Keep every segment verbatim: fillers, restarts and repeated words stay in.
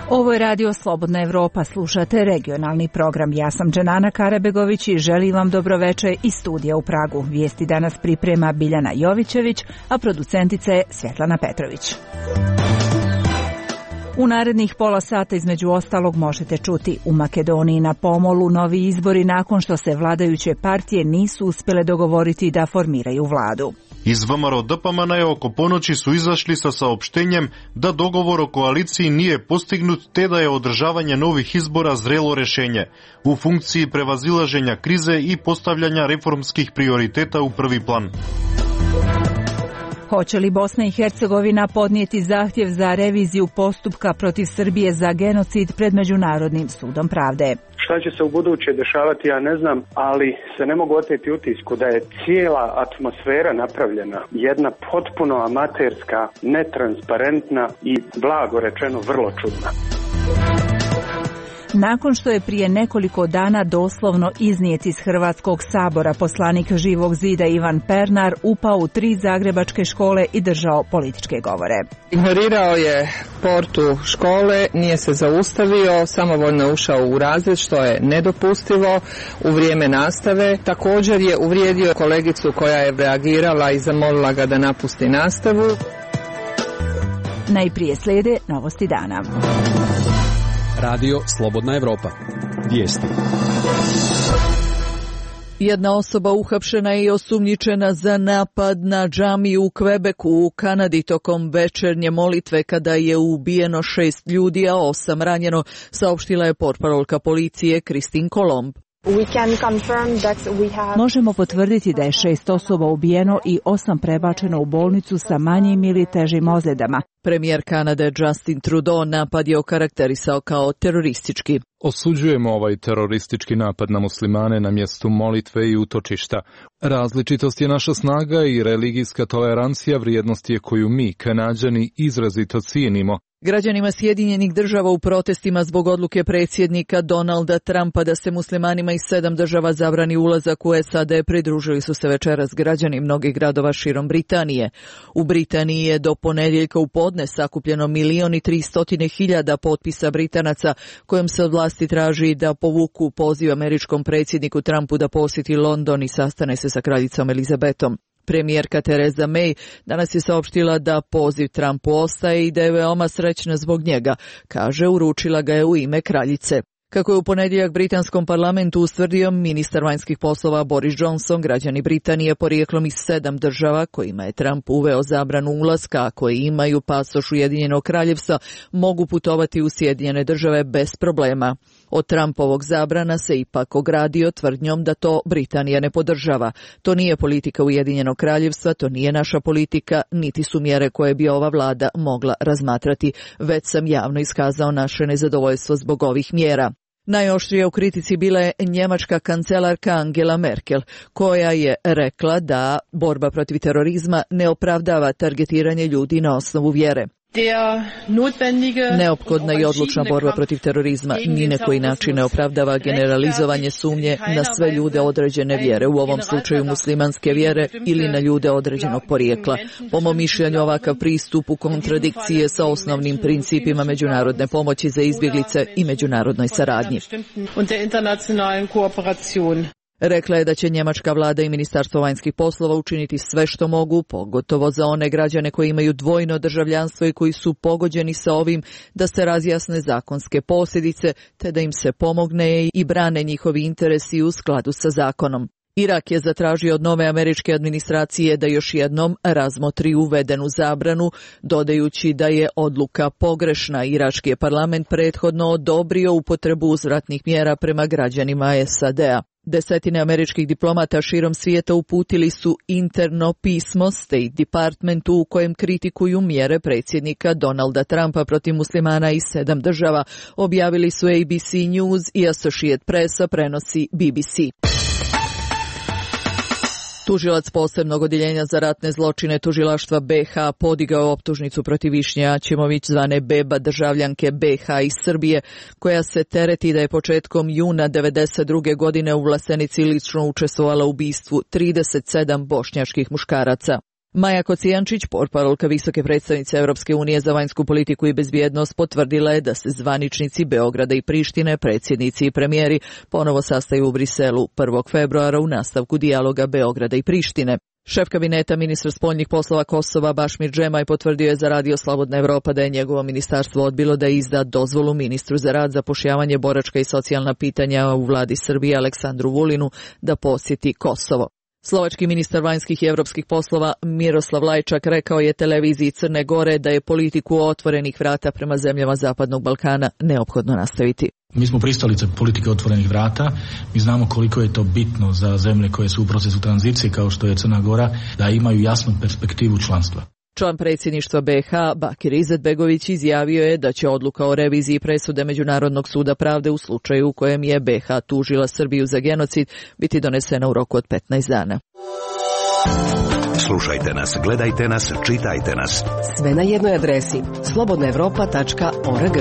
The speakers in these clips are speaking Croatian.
Ovo je radio Slobodna Evropa, slušate regionalni program. Ja sam Dženana Karabegović i želim vam dobroveče iz studija u Pragu. Vijesti danas priprema Biljana Jovićević, a producentica je Svjetlana Petrović. U narednih pola sata između ostalog možete čuti: u Makedoniji na pomolu novi izbori nakon što se vladajuće partije nisu uspjele dogovoriti da formiraju vladu. Iz V M R O D P M N oko ponoći su izašli sa saopštenjem da dogovor o koaliciji nije postignut te da je održavanje novih izbora zrelo rješenje u funkciji prevazilaženja krize i postavljanja reformskih prioriteta u prvi plan. Hoće li Bosna i Hercegovina podnijeti zahtjev za reviziju postupka protiv Srbije za genocid pred Međunarodnim sudom pravde? Šta će se u buduće dešavati, ja ne znam, ali se ne mogu oteti utisku da je cijela atmosfera napravljena jedna potpuno amaterska, netransparentna i, blago rečeno, vrlo čudna. Nakon što je prije nekoliko dana doslovno iznijet iz Hrvatskog sabora, poslanik Živog zida Ivan Pernar upao u tri zagrebačke škole i držao političke govore. Ignorirao je portu škole, nije se zaustavio, samovoljno ušao u razred, što je nedopustivo u vrijeme nastave. Također je uvrijedio kolegicu koja je reagirala i zamolila ga da napusti nastavu. Najprije slijede novosti dana. Radio Slobodna Evropa. Vijesti. Jedna osoba uhapšena je i osumnjičena za napad na džamiju u Kvebeku u Kanadi tokom večernje molitve kada je ubijeno šest ljudi, a osam ranjeno, saopštila je portparolka policije Christine Colomb. Možemo potvrditi da je šest osoba ubijeno i osam prebačeno u bolnicu sa manjim ili težim ozljedama. Premijer Kanade Justin Trudeau napad je okarakterisao kao teroristički. Osuđujemo ovaj teroristički napad na muslimane na mjestu molitve i utočišta. Različitost je naša snaga i religijska tolerancija vrijednost je koju mi, Kanađani, izrazito cijenimo. Građanima Sjedinjenih država u protestima zbog odluke predsjednika Donalda Trumpa da se muslimanima iz sedam država zabrani ulazak u S A D pridružili su se večeras građani mnogih gradova širom Britanije. U Britaniji je do ponedjeljka u podne sakupljeno milion i tristotine hiljada potpisa Britanaca kojom se od vlasti traži da povuku poziv američkom predsjedniku Trumpu da posjeti London i sastane se sa kraljicom Elizabetom. Premijerka Theresa May danas je saopštila da poziv Trumpu ostaje i da je veoma srećna zbog njega, kaže, uručila ga je u ime kraljice. Kako je u ponedjeljak britanskom parlamentu ustvrdio ministar vanjskih poslova Boris Johnson, građani Britanije porijeklom iz sedam država kojima je Trump uveo zabranu ulaska, a koji imaju pasoš Ujedinjenog kraljevstva, mogu putovati u Sjedinjene države bez problema. Od Trumpovog zabrana se ipak ogradio tvrdnjom da to Britanija ne podržava. To nije politika Ujedinjenog kraljevstva, to nije naša politika, niti su mjere koje bi ova vlada mogla razmatrati. Već sam javno iskazao naše nezadovoljstvo zbog ovih mjera. Najoštrija u kritici bila je njemačka kancelarka Angela Merkel, koja je rekla da borba protiv terorizma ne opravdava targetiranje ljudi na osnovu vjere. Neophodna i odlučna borba protiv terorizma ni na koji način ne opravdava generalizovanje sumnje na sve ljude određene vjere, u ovom slučaju muslimanske vjere ili na ljude određenog porijekla. Po mom mišljenju ovakav pristup u kontradikciji je sa osnovnim principima međunarodne pomoći za izbjeglice i međunarodnoj saradnji. Rekla je da će njemačka vlada i Ministarstvo vanjskih poslova učiniti sve što mogu, pogotovo za one građane koji imaju dvojno državljanstvo i koji su pogođeni sa ovim, da se razjasne zakonske posljedice, te da im se pomogne i brane njihovi interesi u skladu sa zakonom. Irak je zatražio od nove američke administracije da još jednom razmotri uvedenu zabranu, dodajući da je odluka pogrešna. Irački je parlament prethodno odobrio upotrebu uzvratnih mjera prema građanima S A D-a. Desetine američkih diplomata širom svijeta uputili su interno pismo State Departmentu u kojem kritikuju mjere predsjednika Donalda Trumpa protiv muslimana iz sedam država, objavili su A B C News i Associated Press, prenosi B B C. Tužilac posebnog odjeljenja za ratne zločine tužilaštva B H podigao optužnicu protiv Višnje Aćimović, zvane Beba, državljanke B H iz Srbije, koja se tereti da je početkom juna devedeset druge godine u Vlasenici lično učestvovala u ubistvu trideset sedam bošnjačkih muškaraca. Maja Kocijančić, portparolka visoke predstavnice Europske unije za vanjsku politiku i bezbjednost, potvrdila je da se zvaničnici Beograda i Prištine, predsjednici i premijeri, ponovo sastaju u Briselu prvog februara u nastavku dijaloga Beograda i Prištine. Šef kabineta ministra spoljnih poslova Kosova Bašmir Džemaj potvrdio je za Radio Slobodna Evropa da je njegovo ministarstvo odbilo da izda dozvolu ministru za rad, zapošljavanje, boračka i socijalna pitanja u vladi Srbije Aleksandru Vulinu da posjeti Kosovo. Slovački ministar vanjskih i evropskih poslova Miroslav Lajčak rekao je televiziji Crne Gore da je politiku otvorenih vrata prema zemljama Zapadnog Balkana neophodno nastaviti. Mi smo pristalice politike otvorenih vrata, mi znamo koliko je to bitno za zemlje koje su u procesu tranzicije kao što je Crna Gora, da imaju jasnu perspektivu članstva. Član predsjedništva B iH Bakir Izetbegović izjavio je da će odluka o reviziji presude Međunarodnog suda pravde u slučaju u kojem je B iH tužila Srbiju za genocid biti donesena u roku od petnaest dana. Slušajte nas, gledajte nas, čitajte nas. Sve na jednoj adresi slobodna evropa tačka org.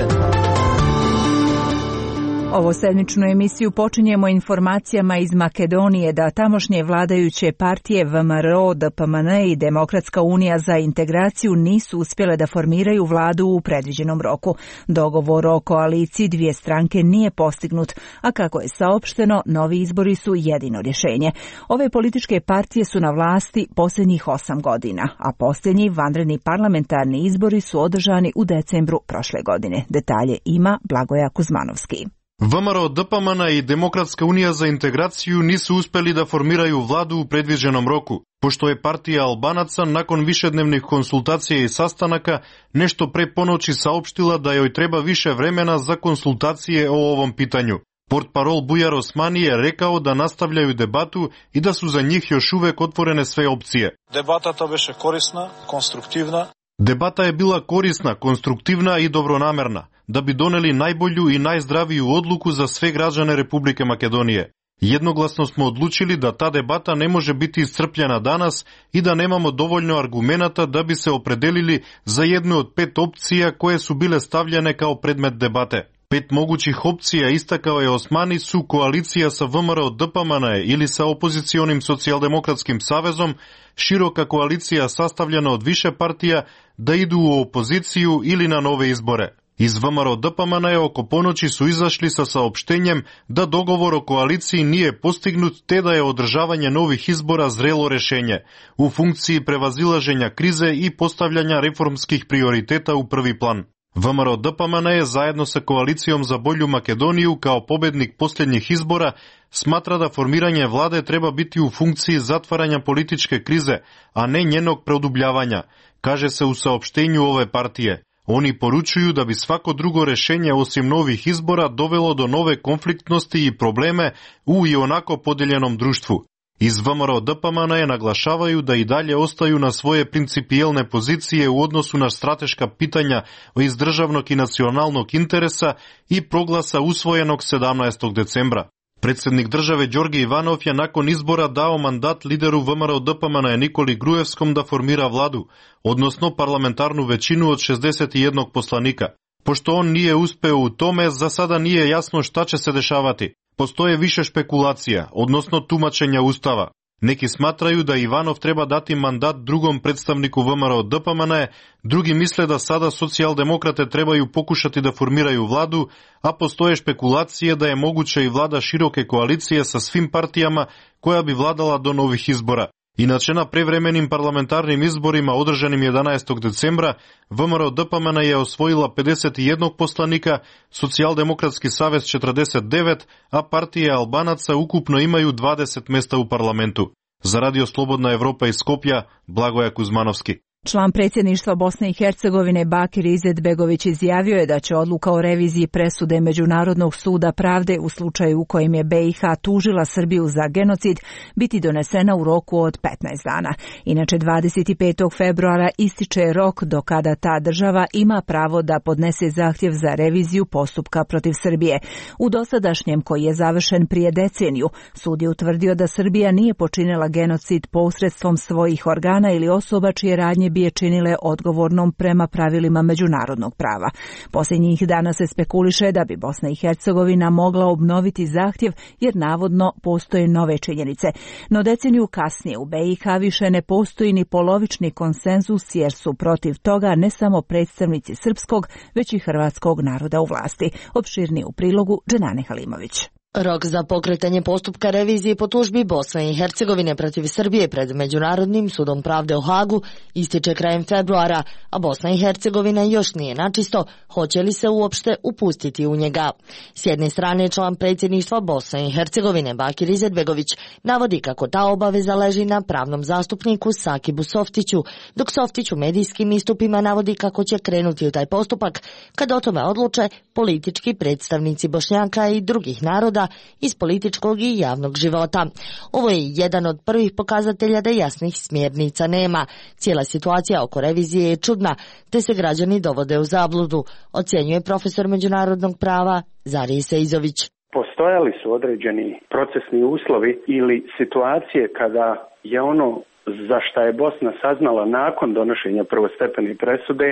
Ovo sedmičnu emisiju počinjemo informacijama iz Makedonije da tamošnje vladajuće partije V M R O, D P M N i Demokratska unija za integraciju nisu uspjele da formiraju vladu u predviđenom roku. Dogovor o koaliciji dvije stranke nije postignut, a kako je saopšteno, novi izbori su jedino rješenje. Ove političke partije su na vlasti posljednjih osam godina, a posljednji vanredni parlamentarni izbori su održani u decembru prošle godine. Detalje ima Blagoja Kuzmanovski. V M R O, D P M N i Demokratska unija za integraciju nisu uspjeli da formiraju vladu u predviđenom roku, pošto je partija Albanaca nakon višednevnih konsultacija i sastanaka nešto pre ponoći saopštila da joj treba više vremena za konsultacije o ovom pitanju. Portparol Bujar Osmani je rekao da nastavljaju debatu i da su za njih još uvek otvorene sve opcije. Debata беше korisna, konstruktivna. Debata je bila korisna, konstruktivna i dobronamerna, da bi doneli najbolju i najzdraviju odluku za sve građane Republike Makedonije. Jednoglasno smo odlučili da ta debata ne može biti iscrpljena danas i da nemamo dovoljno argumenata da bi se opredelili za jednu od pet opcija koje su bile stavljene kao predmet debate. Pet mogućih opcija, istakao je Osmani, su koalicija sa V M R O D P M N ili sa opozicionim socijaldemokratskim savezom, široka koalicija sastavljena od više partija, da idu u opoziciju ili na nove izbore. Iz V M R O D P M N oko ponoći su izašli sa saopštenjem da dogovor o koaliciji nije postignut te da je održavanje novih izbora zrelo rješenje u funkciji prevazilaženja krize i postavljanja reformskih prioriteta u prvi plan. V M R O D P M N je zajedno sa koalicijom za bolju Makedoniju kao pobednik posljednjih izbora smatra da formiranje vlade treba biti u funkciji zatvaranja političke krize, a ne njenog produbljavanja, kaže se u saopštenju ove partije. Oni poručuju da bi svako drugo rješenje osim novih izbora dovelo do nove konfliktnosti i probleme u i onako podeljenom društvu. Iz V M R O D P M N naglašavaju da i dalje ostaju na svoje principijelne pozicije u odnosu na strateška pitanja iz državnog i nacionalnog interesa i proglasa usvojenog sedamnaestog decembra. Predsjednik države Đorđe Ivanov je nakon izbora dao mandat lideru V M R O D P M N Nikoli Grujevskom da formira vladu, odnosno parlamentarnu većinu od šezdeset jedan poslanika. Pošto on nije uspeo u tome, za sada nije jasno šta će se dešavati. Postoje više špekulacija, odnosno tumačenja Ustava. Neki smatraju da Ivanov treba dati mandat drugom predstavniku V M R O D P M N, drugi misle da sada socijaldemokrate trebaju pokušati da formiraju vladu, a postoje špekulacije da je moguće i vlada široke koalicije sa svim partijama koja bi vladala do novih izbora. Inače, na prevremenim parlamentarnim izborima održanim jedanaestog decembra, V M R O D P M N je osvojila pedeset jedan poslanika, Socijaldemokratski savez četrdeset devet, a partije Albanaca ukupno imaju dvadeset mjesta u parlamentu. Za Radio Slobodna Evropa iz Skopja, Blagoja Kuzmanovski. Član predsjedništva Bosne i Hercegovine Bakir Izetbegović izjavio je da će odluka o reviziji presude Međunarodnog suda pravde u slučaju u kojem je B iH tužila Srbiju za genocid biti donesena u roku od petnaest dana. Inače, dvadeset petog februara ističe rok do kada ta država ima pravo da podnese zahtjev za reviziju postupka protiv Srbije. U dosadašnjem, koji je završen prije deceniju, sud je utvrdio da Srbija nije počinila genocid posredstvom svojih organa ili osoba čije radnje bi je činile odgovornom prema pravilima međunarodnog prava. Posljednjih dana se spekuliše da bi Bosna i Hercegovina mogla obnoviti zahtjev jer navodno postoje nove činjenice. No deceniju kasnije u B i H više ne postoji ni polovični konsenzus jer su protiv toga ne samo predstavnici srpskog, već i hrvatskog naroda u vlasti. Opširnije u prilogu Dženane Halimović. Rok za pokretanje postupka revizije po tužbi Bosne i Hercegovine protiv Srbije pred Međunarodnim sudom pravde u Hagu ističe krajem februara, a Bosna i Hercegovina još nije načisto hoće li se uopšte upustiti u njega. S jedne strane član predsjedništva Bosne i Hercegovine Bakir Izetbegović navodi kako ta obaveza leži na pravnom zastupniku Sakibu Softiću, dok Softić u medijskim istupima navodi kako će krenuti u taj postupak kad o tome odluče politički predstavnici Bošnjaka i drugih naroda iz političkog i javnog života. Ovo je jedan od prvih pokazatelja da jasnih smjernica nema. Cijela situacija oko revizije je čudna, te se građani dovode u zabludu, ocjenjuje profesor međunarodnog prava Zarij Sejzović. Postojali su određeni procesni uslovi ili situacije kada je ono za šta je Bosna saznala nakon donošenja prvostepene presude,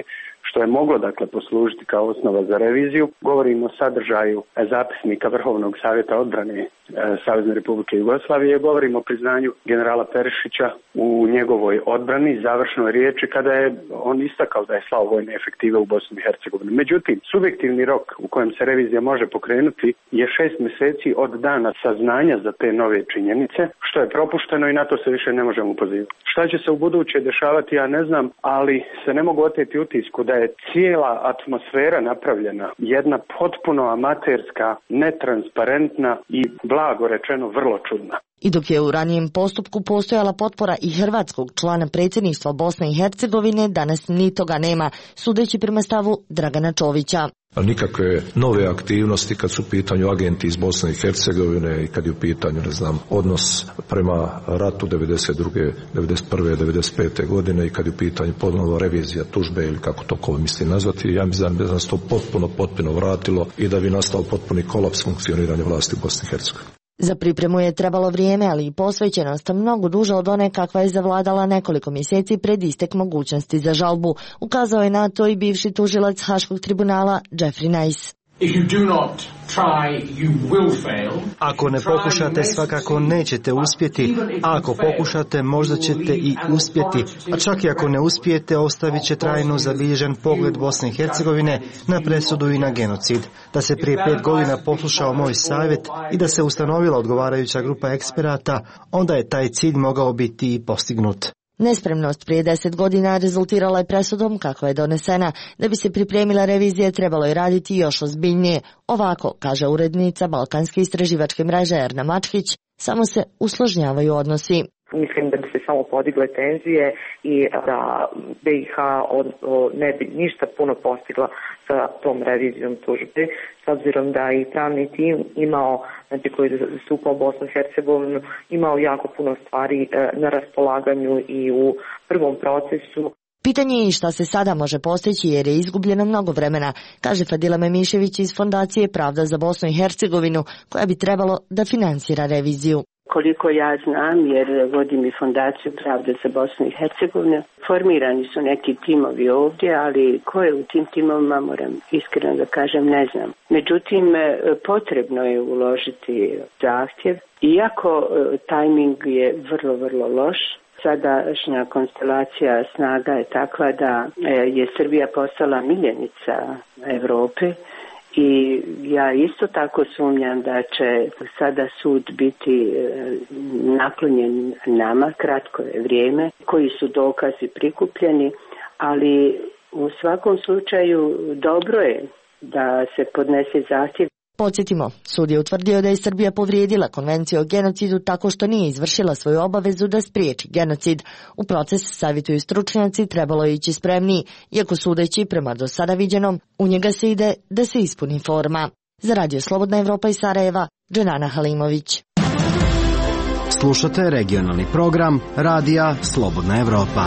što je moglo dakle poslužiti kao osnova za reviziju. Govorimo o sadržaju zapisnika Vrhovnog savjeta odbrane e, Savezne Republike Jugoslavije, govorimo o priznanju generala Perišića u njegovoj odbrani, završnoj riječi kada je on istakao da je slao vojne efektive u Bosnu i Hercegovinu. Međutim, subjektivni rok u kojem se revizija može pokrenuti je šest mjeseci od dana saznanja za te nove činjenice, što je propušteno i na to se više ne možemo pozivati. Šta će se u buduće dešavati, ja ne znam, ali se ne mogu oteti utisku da je cijela atmosfera napravljena jedna potpuno amaterska, netransparentna i blago rečeno vrlo čudna. I dok je u ranijem postupku postojala potpora i hrvatskog člana predsjedništva Bosne i Hercegovine, danas ni toga nema, sudeći prema stavu Dragana Čovića. Nikakve nove aktivnosti kad su u pitanju agenti iz Bosne i Hercegovine i kad je u pitanju, ne znam, odnos prema ratu devedeset druge, devedeset prve, devedeset pete godine i kad je u pitanju ponovno revizija tužbe ili kako to ko misli nazvati, ja mislim da nas to potpuno, potpuno vratilo i da bi nastao potpuni kolaps funkcioniranja vlasti u Bosni i Hercegovini. Za pripremu je trebalo vrijeme, ali i posvećenost mnogo duže od one kakva je zavladala nekoliko mjeseci pred istek mogućnosti za žalbu. Ukazao je na to i bivši tužilac Haškog tribunala Jeffrey Nice. Ako ne pokušate, svakako nećete uspjeti, a ako pokušate, možda ćete i uspjeti, a čak i ako ne uspijete, ostavit će trajno zabilježen pogled Bosne i Hercegovine na presudu i na genocid. Da se prije pet godina poslušao moj savjet i da se ustanovila odgovarajuća grupa eksperata, onda je taj cilj mogao biti i postignut. Nespremnost prije deset godina rezultirala je presudom kakva je donesena. Da bi se pripremila revizija, trebalo je raditi još ozbiljnije. Ovako, kaže urednica Balkanske istraživačke mreže Erna Mačkić, samo se usložnjavaju odnosi. Mislim da bi se samo podigle tenzije i da B i H ne bi ništa puno postigla sa tom revizijom tužbe, s obzirom da i pravni tim imao, znači koji je zastupao Bosnu i Hercegovinu, imao jako puno stvari na raspolaganju i u prvom procesu. Pitanje je i šta se sada može postići jer je izgubljeno mnogo vremena, kaže Fadila Memišević iz Fondacije Pravda za Bosnu i Hercegovinu, koja bi trebalo da finansira reviziju. Koliko ja znam, jer vodim i Fondaciju Pravde za Bosnu i Hercegovinu, formirani su neki timovi ovdje, ali ko je u tim timovima, moram iskreno da kažem, ne znam. Međutim, potrebno je uložiti zahtjev, iako tajming je vrlo, vrlo loš. Sadašnja konstelacija snaga je takva da je Srbija postala miljenica Evrope. I ja isto tako sumnjam da će sada sud biti naklonjen nama, kratko je vrijeme, koji su dokazi prikupljeni, ali u svakom slučaju dobro je da se podnese zahtjev. Podsjetimo, sud je utvrdio da je Srbija povrijedila konvenciju o genocidu tako što nije izvršila svoju obavezu da spriječi genocid. U proces, savjetuju stručnjaci, trebalo je ići spremniji, iako sudeći prema do sada viđenom, u njega se ide da se ispuni forma. Za Radio Slobodna Evropa iz Sarajeva, Dženana Halimović. Slušate regionalni program Radija Slobodna Evropa.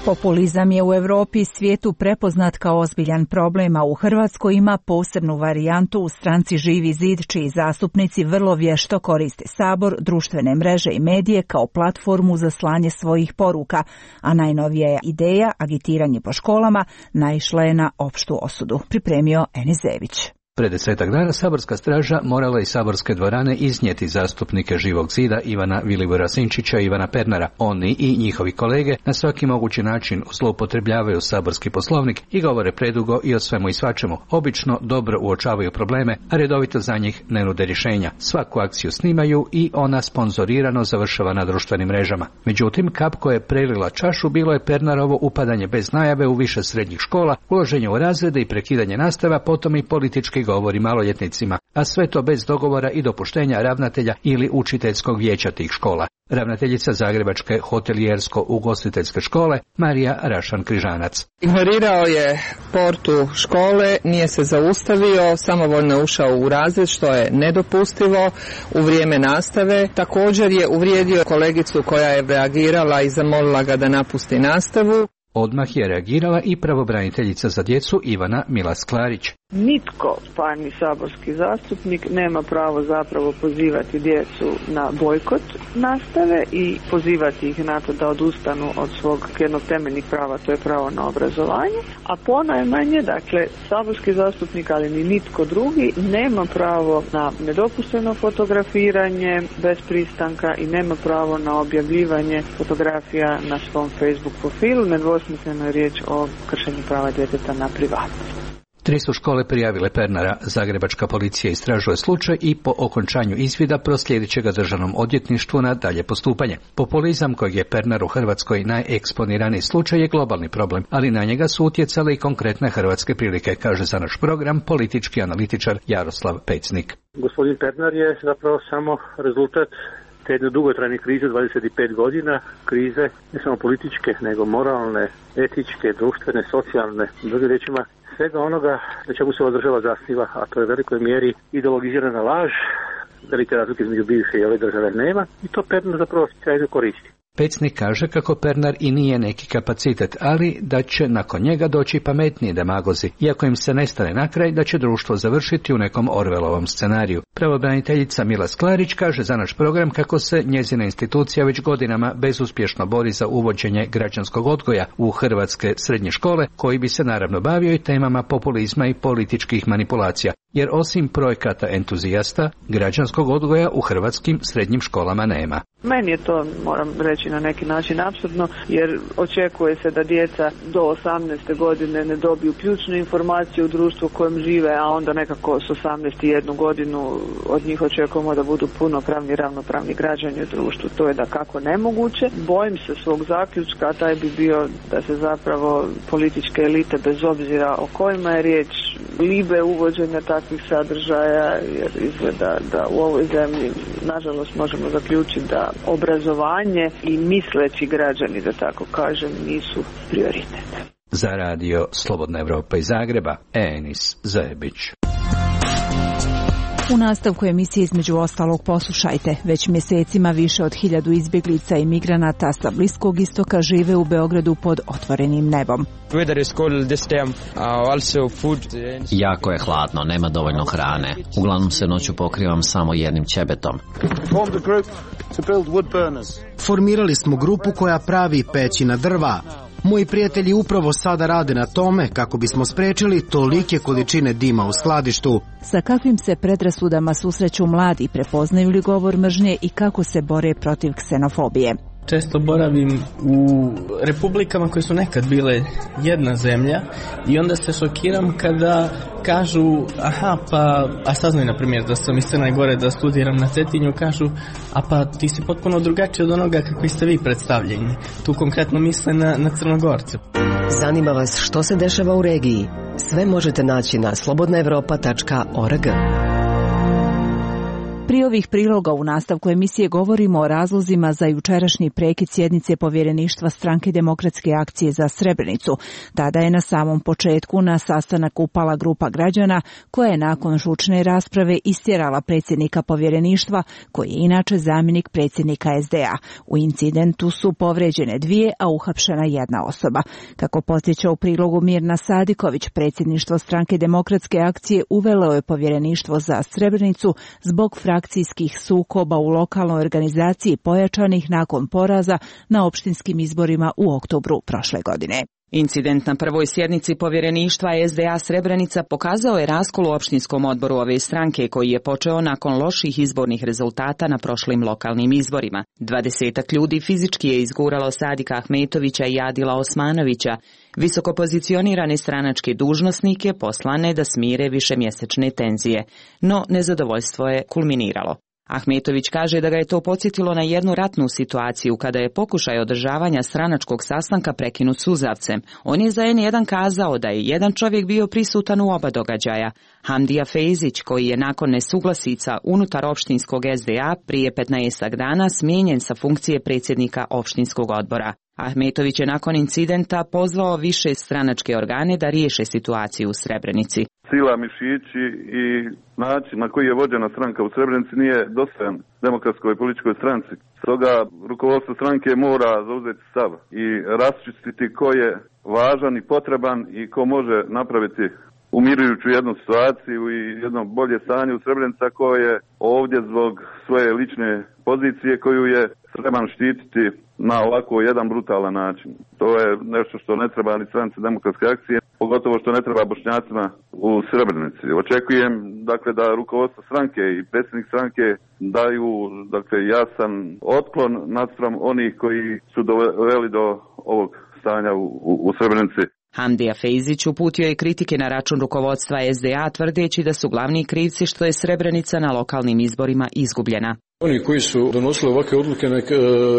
Populizam je u Europi i svijetu prepoznat kao ozbiljan problem, a u Hrvatskoj ima posebnu varijantu u stranci Živi zid, čiji zastupnici vrlo vješto koriste Sabor, društvene mreže i medije kao platformu za slanje svojih poruka, a najnovija ideja, agitiranje po školama, naišla je na opštu osudu. Pripremio Enis Zević. Pred desetak dana saborska straža morala iz saborske dvorane iznijeti zastupnike Živog zida Ivana Vilibora Sinčića i Ivana Pernara. Oni i njihovi kolege na svaki mogući način zloupotrebljavaju saborski poslovnik i govore predugo i o svemu i svačemu. Obično dobro uočavaju probleme, a redovito za njih ne nude rješenja. Svaku akciju snimaju i ona sponzorirano završava na društvenim mrežama. Međutim, kap koja je prelila čašu bilo je Pernarovo upadanje bez najave u više srednjih škola, uloženje u razrede i prekidanje nastava, potom i politički govori maloljetnicima, a sve to bez dogovora i dopuštenja ravnatelja ili učiteljskog vijeća tih škola. Ravnateljica Zagrebačke hotelijersko-ugostiteljske škole Marija Rašan-Križanac. Ignorirao je portu škole, nije se zaustavio, samovoljno ušao u razred, što je nedopustivo u vrijeme nastave. Također je uvrijedio kolegicu koja je reagirala i zamolila ga da napusti nastavu. Odmah je reagirala i pravobraniteljica za djecu Ivana Milas-Klarić. Nitko, pa ni saborski zastupnik, nema pravo zapravo pozivati djecu na bojkot nastave i pozivati ih na to da odustanu od svog jednog temeljnih prava, to je pravo na obrazovanje, a ponajmanje, dakle, saborski zastupnik, ali ni nitko drugi, nema pravo na nedopušteno fotografiranje bez pristanka i nema pravo na objavljivanje fotografija na svom Facebook profilu. Nedvosmisleno je riječ o kršenju prava djeteta na privatnost. Tri su škole prijavile Pernara. Zagrebačka policija istražuje slučaj i po okončanju izvida proslijedit će ga državnom odvjetništvu na dalje postupanje. Populizam kojeg je Pernar u Hrvatskoj najeksponiraniji slučaj je globalni problem, ali na njega su utjecale i konkretne hrvatske prilike, kaže za naš program politički analitičar Jaroslav Pecnik. Gospodin Pernar je zapravo samo rezultat te jedne dugotrajne krize dvadeset pet godina, krize ne samo političke, nego moralne, etičke, društvene, socijalne, drugim riječima svega onoga na čemu se ova država zasniva, a to je u velikoj mjeri ideologizirana laž, velike razlike između bivše i ove države nema i to Pernar zapravo sjajno koristi. Pecnik kaže kako Pernar i nije neki kapacitet, ali da će nakon njega doći pametniji demagozi, iako im se ne stane na kraj da će društvo završiti u nekom Orvelovom scenariju. Pravobraniteljica Milas-Klarić kaže za naš program kako se njezina institucija već godinama bezuspješno bori za uvođenje građanskog odgoja u hrvatske srednje škole, koji bi se naravno bavio i temama populizma i političkih manipulacija, jer osim projekata entuzijasta, građanskog odgoja u hrvatskim srednjim školama nema. Meni je to, moram reći, na neki način apsurdno, jer očekuje se da djeca do osamnaeste godine ne dobiju ključnu informaciju u društvu u kojem žive, a onda nekako s osamnaeste i jednu godinu od njih očekujemo da budu punopravni, ravnopravni građani u društvu. To je da kako nemoguće. Bojim se svog zaključka, a taj bi bio da se zapravo političke elite, bez obzira o kojima je riječ, libe uvođenja takvih sadržaja, jer izgleda da u ovoj zemlji, nažalost, možemo zaključiti da obrazovanje i misleći građani, da tako kažem, nisu prioritet. Za radio Slobodna Evropa iz Zagreba, Enis Zebić. U nastavku emisije između ostalog poslušajte. Već mjesecima više od hiljadu izbjeglica i migranata sa Bliskog istoka žive u Beogradu pod otvorenim nebom. Jako je hladno, nema dovoljno hrane. Uglavnom se noću pokrivam samo jednim ćebetom. Formirali smo grupu koja pravi peći na drva. Moji prijatelji upravo sada rade na tome kako bismo sprečili tolike količine dima u skladištu. Sa kakvim se predrasudama susreću mladi, prepoznaju li govor mržnje i kako se bore protiv ksenofobije? Često boravim u republikama koje su nekad bile jedna zemlja i onda se šokiram kada kažu, aha, pa, a saznaju na primjer da sam iz Crne Gore da studiram na Cetinju, kažu, a pa ti si potpuno drugačiji od onoga kakvi ste vi predstavljeni. Tu konkretno misle na, na Crnogorce. Zanima vas što se dešava u regiji? Sve možete naći na slobodna evropa tačka org. Prije ovih priloga u nastavku emisije govorimo o razlozima za jučerašnji prekid sjednice povjereništva Stranke demokratske akcije za Srebrenicu. Tada je na samom početku na sastanak upala grupa građana koja je nakon žučne rasprave istjerala predsjednika povjereništva, koji je inače zamjenik predsjednika S D A. U incidentu su povređene dvije, a uhapšena jedna osoba. Kako podsjeća u prilogu Mirna Sadiković, predsjedništvo Stranke demokratske akcije uvelo je povjereništvo za Srebrenicu zbog frakcijskih sukoba u lokalnoj organizaciji pojačanih nakon poraza na opštinskim izborima u oktobru prošle godine. Incident na prvoj sjednici povjereništva S D A Srebrenica pokazao je raskol u opštinskom odboru ove stranke koji je počeo nakon loših izbornih rezultata na prošlim lokalnim izborima. Dvadesetak ljudi fizički je izguralo Sadika Ahmetovića i Adila Osmanovića, visoko pozicionirane stranačke dužnosnike poslane da smire višemjesečne tenzije, no nezadovoljstvo je kulminiralo. Ahmetović kaže da ga je to podsjetilo na jednu ratnu situaciju kada je pokušaj održavanja stranačkog sastanka prekinut suzavcem. On je za N jedan kazao da je jedan čovjek bio prisutan u oba događaja. Hamdija Fejzić, koji je nakon nesuglasica unutar opštinskog S D A prije petnaestak dana smijenjen sa funkcije predsjednika opštinskog odbora. Ahmetović je nakon incidenta pozvao više stranačke organe da riješe situaciju u Srebrenici. Sila, mišići i način na koji je vođena stranka u Srebrenici nije dostojan demokratskoj političkoj stranci. Stoga rukovodstvo stranke mora zauzeti stav i raščistiti ko je važan i potreban i ko može napraviti umirujuću jednu situaciju i jedno bolje stanje u Srebrenici, ko je ovdje zbog svoje lične pozicije koju je spreman štititi na ovako jedan brutalan način. To je nešto što ne treba ni stranci demokratske akcije, pogotovo što ne treba Bošnjacima u Srebrenici. Očekujem dakle da rukovodstvo stranke i predsjednik stranke daju dakle jasan otklon naspram onih koji su doveli do ovog stanja u, u, u Srebrenici. Hamdija Fejzić uputio je kritike na račun rukovodstva S D A tvrdeći da su glavni krivci što je Srebrenica na lokalnim izborima izgubljena. Oni koji su donosili ovakve odluke nek e,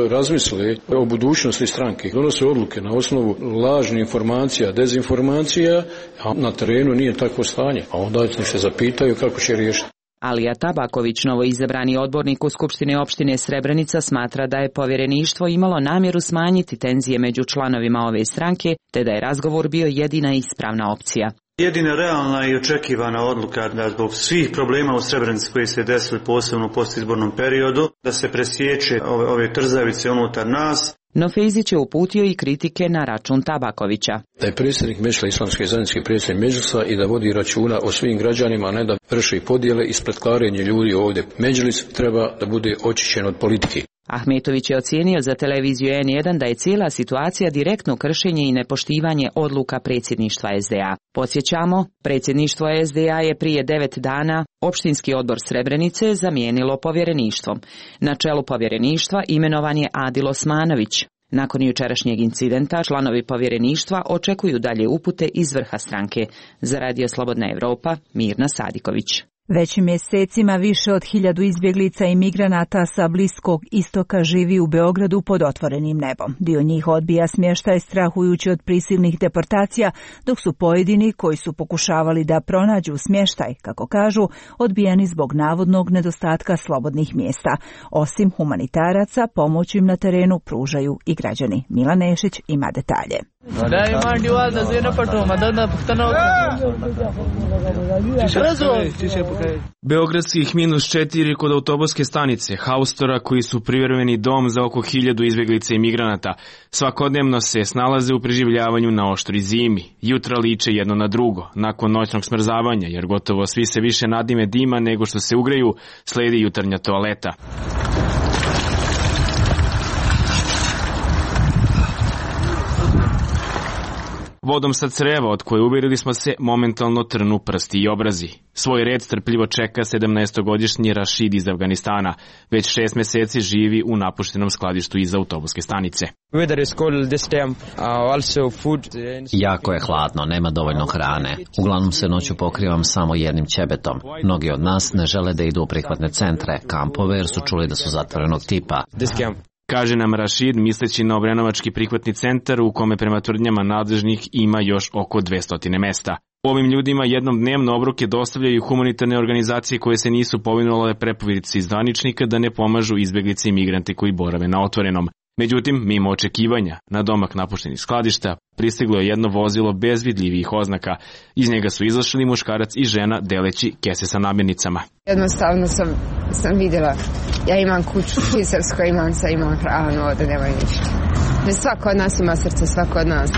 razmisle o budućnosti stranke. Donose odluke na osnovu lažnih informacija, dezinformacija, a na terenu nije takvo stanje. A onda nek se zapitaju kako će riješiti. Alija Tabaković, novoizabrani odbornik u Skupštine opštine Srebrenica, smatra da je povjereništvo imalo namjeru smanjiti tenzije među članovima ove stranke, te da je razgovor bio jedina ispravna opcija. Jedina realna i očekivana odluka da zbog svih problema u Srebrenici koji se desili posebno u postizbornom periodu, da se presječe ove, ove trzavice unutar nas. No Fejzić je uputio i kritike na račun Tabakovića. Da je predsjednik Mešla islamske zajednice predsjednik Međlisa i da vodi računa o svim građanima, a ne da vrši podjele i spletkarenje ljudi ovdje. Međlis treba da bude očišćen od politike. Ahmetović je ocijenio za televiziju N jedan da je cijela situacija direktno kršenje i nepoštivanje odluka predsjedništva S D A. Podsjećamo, predsjedništvo S D A je prije devet dana opštinski odbor Srebrenice zamijenilo povjereništvom. Na čelu povjereništva imenovan je Adil Osmanović. Nakon jučerašnjeg incidenta, članovi povjereništva očekuju dalje upute iz vrha stranke. Za Radio Slobodna Evropa, Mirna Sadiković. Već mjesecima više od hiljadu izbjeglica i migranata sa Bliskog istoka živi u Beogradu pod otvorenim nebom. Dio njih odbija smještaj strahujući od prisilnih deportacija, dok su pojedini koji su pokušavali da pronađu smještaj, kako kažu, odbijeni zbog navodnog nedostatka slobodnih mjesta. Osim humanitaraca, pomoć im na terenu pružaju i građani. Milan Nešić ima detalje. Beogradskih minus četiri kod autobuske stanice, haustora koji su privremeni dom za oko hiljadu izbjeglica i migranata, svakodnevno se snalaze u preživljavanju na oštri zimi. Jutra liče jedno na drugo, nakon noćnog smrzavanja, jer gotovo svi se više nadime dima nego što se ugreju, sledi jutarnja toaleta. Vodom sa creva od koje uvjerili smo se momentalno trnu prsti i obrazi. Svoj red strpljivo čeka sedamnaestogodišnji Rašid iz Afganistana. Već šest mjeseci živi u napuštenom skladištu iza autobuske stanice. Jako je hladno, nema dovoljno hrane. Uglavnom se noću pokrivam samo jednim ćebetom. Mnogi od nas ne žele da idu u prihvatne centre, kampove, jer su čuli da su zatvorenog tipa. Kaže nam Rašid, misleći na Obrenovački prihvatni centar u kome prema tvrdnjama nadležnih ima još oko dvesta mjesta. Ovim ljudima jednom dnevno obroke dostavljaju humanitarne organizacije koje se nisu povinule preporuci zvaničnika da ne pomažu izbeglice i migrante koji borave na otvorenom. Međutim, mimo očekivanja, na domak napuštenih skladišta pristiglo je jedno vozilo bez vidljivih oznaka. Iz njega su izašli muškarac i žena deleći kese sa namirnicama. Jednostavno sam, sam vidjela, ja imam kuću švicarsko, imam sa imam hranu, ovdje nema ništa. Svako od nas ima srce, svako od nas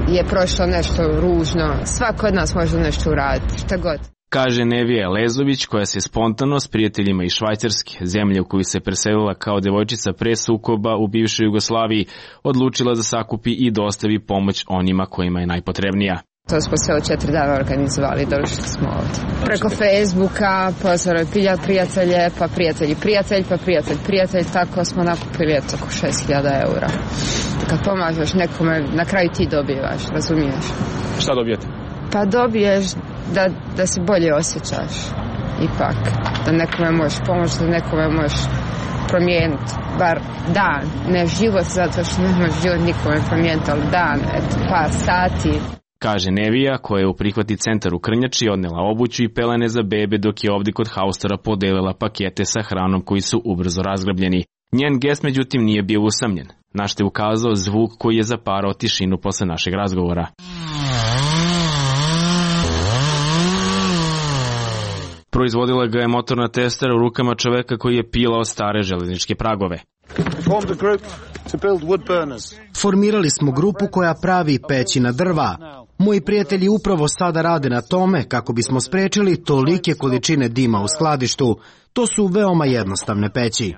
je prošlo nešto ružno, svako od nas može nešto uraditi, šta god. Kaže Nevija Lezović, koja se spontano s prijateljima iz Švajcarske, zemlje u koju se preselila kao devojčica pre sukoba u bivšoj Jugoslaviji, odlučila da sakupi i dostavi pomoć onima kojima je najpotrebnija. To smo sve od četiri dana organizovali, došli smo ovdje. Preko Facebooka, pozvali prijatelje, pa prijatelji prijatelj, pa prijatelj prijatelj, tako smo nakupili oko šest hiljada eura. Kad pomažeš nekome, na kraju ti dobivaš, razumiješ? Šta dobijete? Pa dobiješ da, da se bolje osjećaš, ipak. Da nekome možeš pomoći, da nekome možeš promijeniti, bar dan, ne život, zato što ne možeš život nikome promijeniti, ali dan, eto, par sati. Kaže Nevija, koja je u prihvati centar u Krnjači odnela obuću i pelene za bebe, dok je ovdje kod Haustora podelila pakete sa hranom koji su ubrzo razgrabljeni. Njen gest međutim nije bio usamljen, na što je ukazao zvuk koji je zaparao tišinu posle našeg razgovora. Proizvodila ga je motorna testera u rukama čoveka koji je pilao stare železničke pragove. Formirali smo grupu koja pravi peći na drva. Moji prijatelji upravo sada rade na tome kako bismo sprečili tolike količine dima u skladištu. To su veoma jednostavne peći.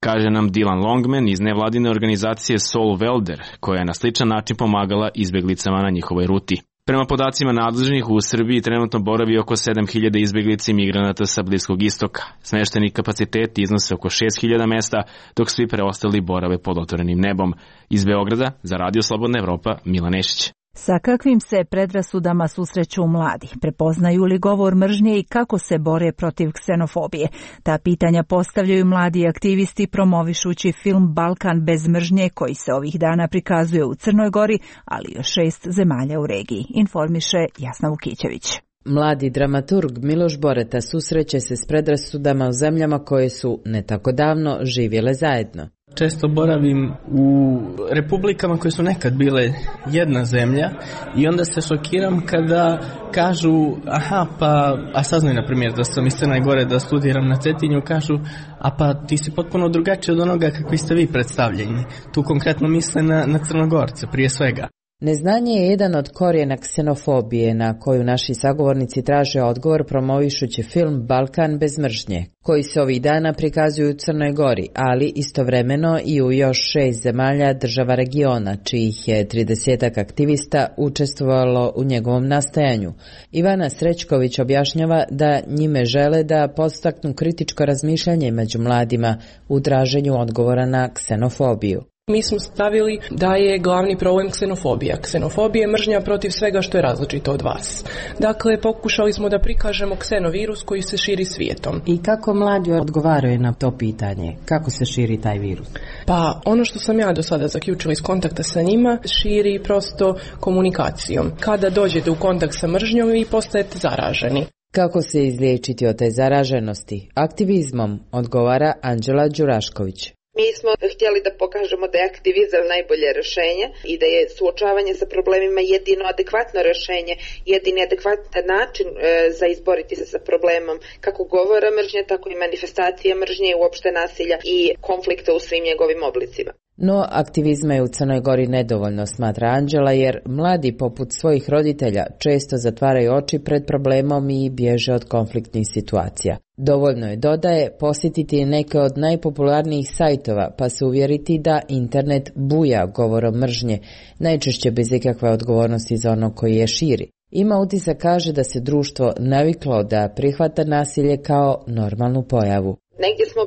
Kaže nam Dylan Longman iz nevladine organizacije Soul Welder, koja je na sličan način pomagala izbjeglicama na njihovoj ruti. Prema podacima nadležnih, u Srbiji trenutno boravi oko sedam hiljada izbjeglica i migranata sa Bliskog istoka. Smešteni kapaciteti iznose oko šest hiljada mesta, dok svi preostali borave pod otvorenim nebom. Iz Beograda, za Radio Slobodna Evropa, Milan Nešić. Sa kakvim se predrasudama susreću mladi? Prepoznaju li govor mržnje i kako se bore protiv ksenofobije? Ta pitanja postavljaju mladi aktivisti promovišući film Balkan bez mržnje, koji se ovih dana prikazuje u Crnoj Gori, ali i još šest zemalja u regiji, informiše Jasna Vukićević. Mladi dramaturg Miloš Boreta susreće se s predrasudama u zemljama koje su ne tako davno živjele zajedno. Često boravim u republikama koje su nekad bile jedna zemlja i onda se šokiram kada kažu, aha, pa, a saznaju na primjer da sam iz Crne Gore, da studiram na Cetinju, kažu, a pa ti si potpuno drugačiji od onoga kakvi ste vi predstavljeni. Tu konkretno misle na, na Crnogorce prije svega. Neznanje je jedan od korijena ksenofobije na koju naši sagovornici traže odgovor promovišući film Balkan bez mržnje, koji se ovih dana prikazuju u Crnoj Gori, ali istovremeno i u još šest zemalja država regiona, čijih je tridesetak aktivista učestvovalo u njegovom nastajanju. Ivana Srećković objašnjava da njime žele da podstaknu kritičko razmišljanje među mladima u traženju odgovora na ksenofobiju. Mi smo stavili da je glavni problem ksenofobija. Ksenofobija je mržnja protiv svega što je različito od vas. Dakle, pokušali smo da prikažemo ksenovirus koji se širi svijetom. I kako mladi odgovaraju na to pitanje? Kako se širi taj virus? Pa, ono što sam ja do sada zaključila iz kontakta sa njima, širi prosto komunikacijom. Kada dođete u kontakt sa mržnjom, vi postajete zaraženi. Kako se izliječiti od te zaraženosti? Aktivizmom, odgovara Anđela Đurašković. Mi smo htjeli da pokažemo da je aktivizam najbolje rješenje i da je suočavanje sa problemima jedino adekvatno rješenje, jedini adekvatan način e, za izboriti se sa problemom kako govora mržnje, tako i manifestacije mržnje i uopšte nasilja i konflikta u svim njegovim oblicima. No, aktivizma je u Crnoj Gori nedovoljno, smatra Anđela, jer mladi poput svojih roditelja često zatvaraju oči pred problemom i bježe od konfliktnih situacija. Dovoljno je, dodaje, posjetiti neke od najpopularnijih sajtova pa se uvjeriti da internet buja govorom mržnje, najčešće bez ikakve odgovornosti za ono koji je širi. Ima utisak, kaže, da se društvo naviklo da prihvata nasilje kao normalnu pojavu. Negdje smo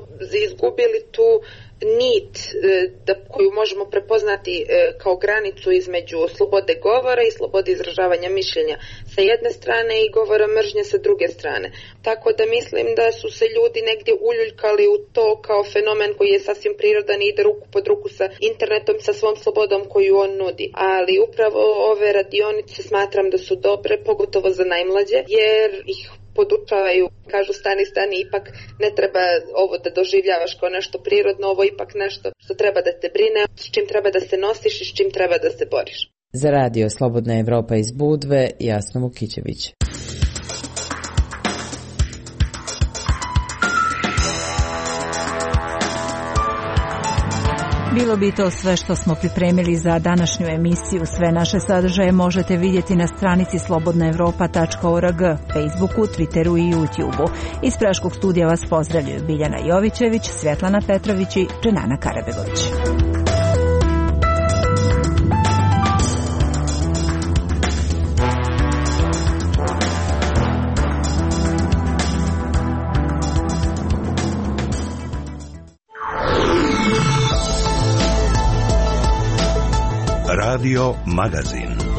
izgubili tu nit da, koju možemo prepoznati kao granicu između slobode govora i slobode izražavanja mišljenja sa jedne strane i govora mržnje sa druge strane. Tako da mislim da su se ljudi negdje uljuljkali u to kao fenomen koji je sasvim prirodan i ide ruku pod ruku sa internetom, sa svom slobodom koju on nudi. Ali upravo ove radionice smatram da su dobre, pogotovo za najmlađe, jer ih podučavaju, kažu stani, stani, ipak ne treba ovo da doživljavaš kao nešto prirodno, ovo ipak nešto što treba da te brine, s čim treba da se nosiš i s čim treba da se boriš. Za radio Slobodna Evropa iz Budve, Jasna Vukićević. Bilo bi to sve što smo pripremili za današnju emisiju. Sve naše sadržaje možete vidjeti na stranici slobodna evropa tačka org, Facebooku, Twitteru i YouTubeu. Iz Praškog studija vas pozdravljaju Biljana Jovićević, Svjetlana Petrović i Dženana Karabegović. Radio Magazin.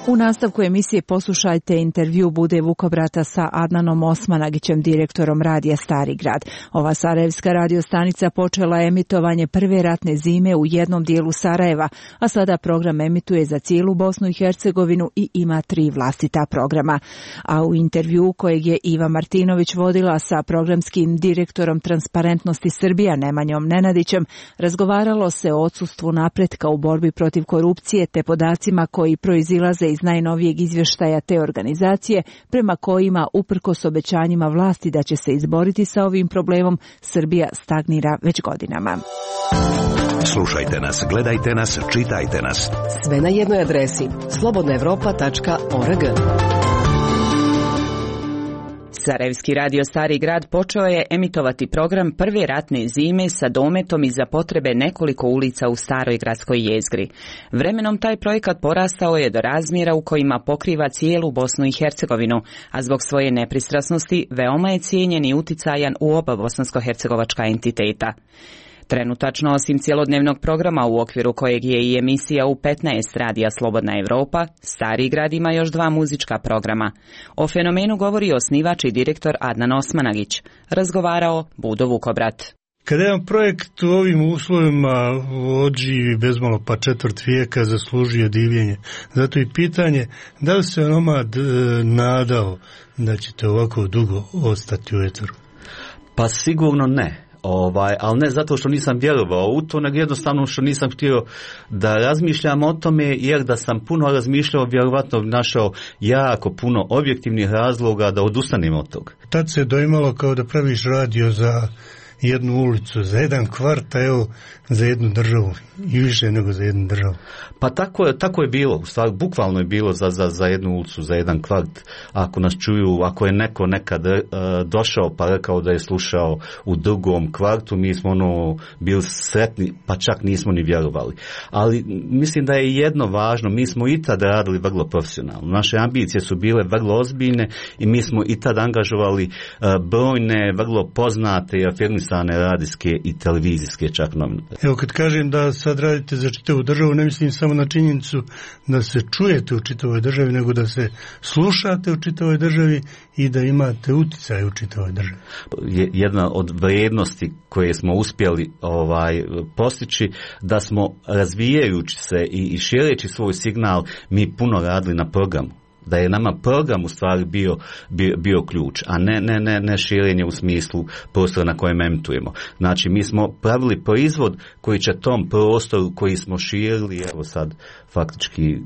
U nastavku emisije poslušajte intervju Bude Vukobrata sa Adnanom Osmanagićem, direktorom radija Stari grad. Ova sarajevska radiostanica počela je emitovanje prve ratne zime u jednom dijelu Sarajeva, a sada program emituje za cijelu Bosnu i Hercegovinu i ima tri vlastita programa. A u intervju kojeg je Iva Martinović vodila sa programskim direktorom Transparentnosti Srbija Nemanjom Nenadićem, razgovaralo se o odsustvu napretka u borbi protiv korupcije te podacima koji proizilaze iz najnovijeg izvještaja te organizacije, prema kojima, uprkos obećanjima vlasti da će se izboriti sa ovim problemom, Srbija stagnira već godinama. Slušajte nas, gledajte nas, čitajte nas. Sve na jednoj adresi slobodna evropa tačka org. Sarajevski radio Stari grad počeo je emitovati program prve ratne zime sa dometom i za potrebe nekoliko ulica u staroj gradskoj jezgri. Vremenom taj projekat porastao je do razmjera u kojima pokriva cijelu Bosnu i Hercegovinu, a zbog svoje nepristrasnosti veoma je cijenjen i uticajan u oba bosansko-hercegovačka entiteta. Trenutačno, osim cjelodnevnog programa u okviru kojeg je i emisija u petnaest radija Slobodna Evropa, Stari grad ima još dva muzička programa. O fenomenu govori osnivač i direktor Adnan Osmanagić. Razgovarao Budo Vukobrat. Kada jedan projekt u ovim uslovima odživi bezmalo pa četvrt vijeka, zaslužuje divljenje. Zato i pitanje, da li se onomad nadao da ćete ovako dugo ostati u eteru? Pa sigurno ne. Ovaj, ali ne zato što nisam vjerovao u to, nego jednostavno što nisam htio da razmišljam o tome, jer da sam puno razmišljao, vjerovatno našao jako puno objektivnih razloga da odustanem od toga. Tad se doimalo kao da praviš radio za jednu ulicu, za jedan kvart, a evo za jednu državu i više nego za jednu državu. Pa tako je, tako je bilo, u stvari bukvalno je bilo za, za, za jednu ulicu, za jedan kvart. Ako nas čuju, ako je neko nekad uh, došao pa rekao da je slušao u drugom kvartu, mi smo ono bili sretni, pa čak nismo ni vjerovali. Ali mislim da je jedno važno, mi smo i tad radili vrlo profesionalno. Naše ambicije su bile vrlo ozbiljne i mi smo i tad angažovali uh, brojne, vrlo poznate i afirmisane radijske i televizijske čak novine. Evo kad kažem da sad radite za čitavu državu, ne mislim samo na činjenicu da se čujete u čitavoj državi, nego da se slušate u čitavoj državi i da imate uticaj u čitavoj državi. Jedna od vrijednosti koje smo uspjeli ovaj postići, da smo razvijajući se i, i šireći svoj signal, mi puno radili na programu. Da je nama program u stvari bio, bio, bio ključ, a ne, ne, ne, ne širenje u smislu prostora na kojem emitujemo. Znači, mi smo pravili proizvod koji će tom prostoru koji smo širili, evo sad faktički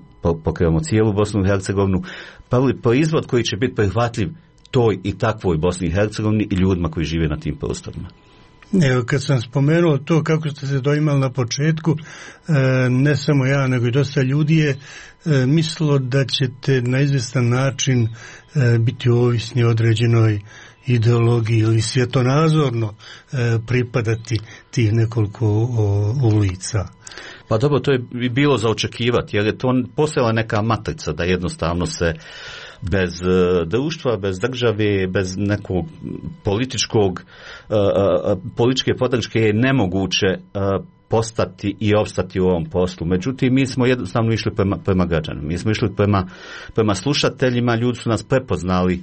pokrivamo cijelu Bosnu i Hercegovinu, pravili proizvod koji će biti prihvatljiv toj i takvoj Bosni i Hercegovini i ljudima koji žive na tim prostorima. Evo, kad sam spomenuo to kako ste se doimali na početku, ne samo ja, nego i dosta ljudi je mislilo da ćete na izvjestan način biti ovisni određenoj ideologiji ili svjetonazorno pripadati tih nekoliko ulica. Pa dobro, to je bilo za očekivati, jer je to postojala neka matrica da jednostavno se bez društva, bez države, bez nekog političkog, političke podrške je nemoguće postati i opstati u ovom poslu. Međutim, mi smo jednostavno išli prema, prema građanima. Mi smo išli prema, prema slušateljima, ljudi su nas prepoznali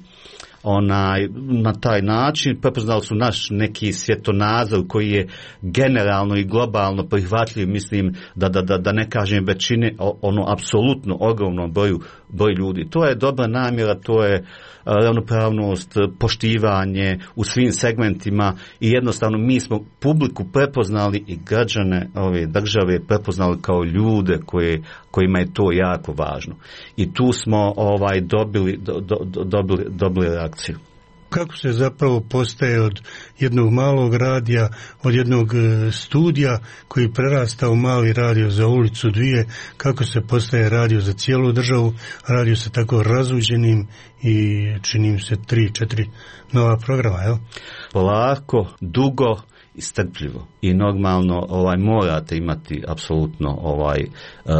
onaj, na taj način, prepoznali su naš neki svjetonazor koji je generalno i globalno prihvatljiv, mislim da, da, da, da ne kažem većine, ono apsolutno ogromnom broju broj ljudi. To je dobra namjera, to je ravnopravnost, poštivanje u svim segmentima i jednostavno mi smo publiku prepoznali i građane ove države prepoznali kao ljude koje, kojima je to jako važno. I tu smo ovaj dobili, do, do, dobili, dobili reakciju. Kako se zapravo postaje od jednog malog radija, od jednog studija koji prerasta u mali radio za ulicu dvije, kako se postaje radio za cijelu državu, radio sa tako razuđenim i činim se tri, četiri nova programa, jel? Polako, dugo i strpljivo. I normalno ovaj morate imati apsolutno ovaj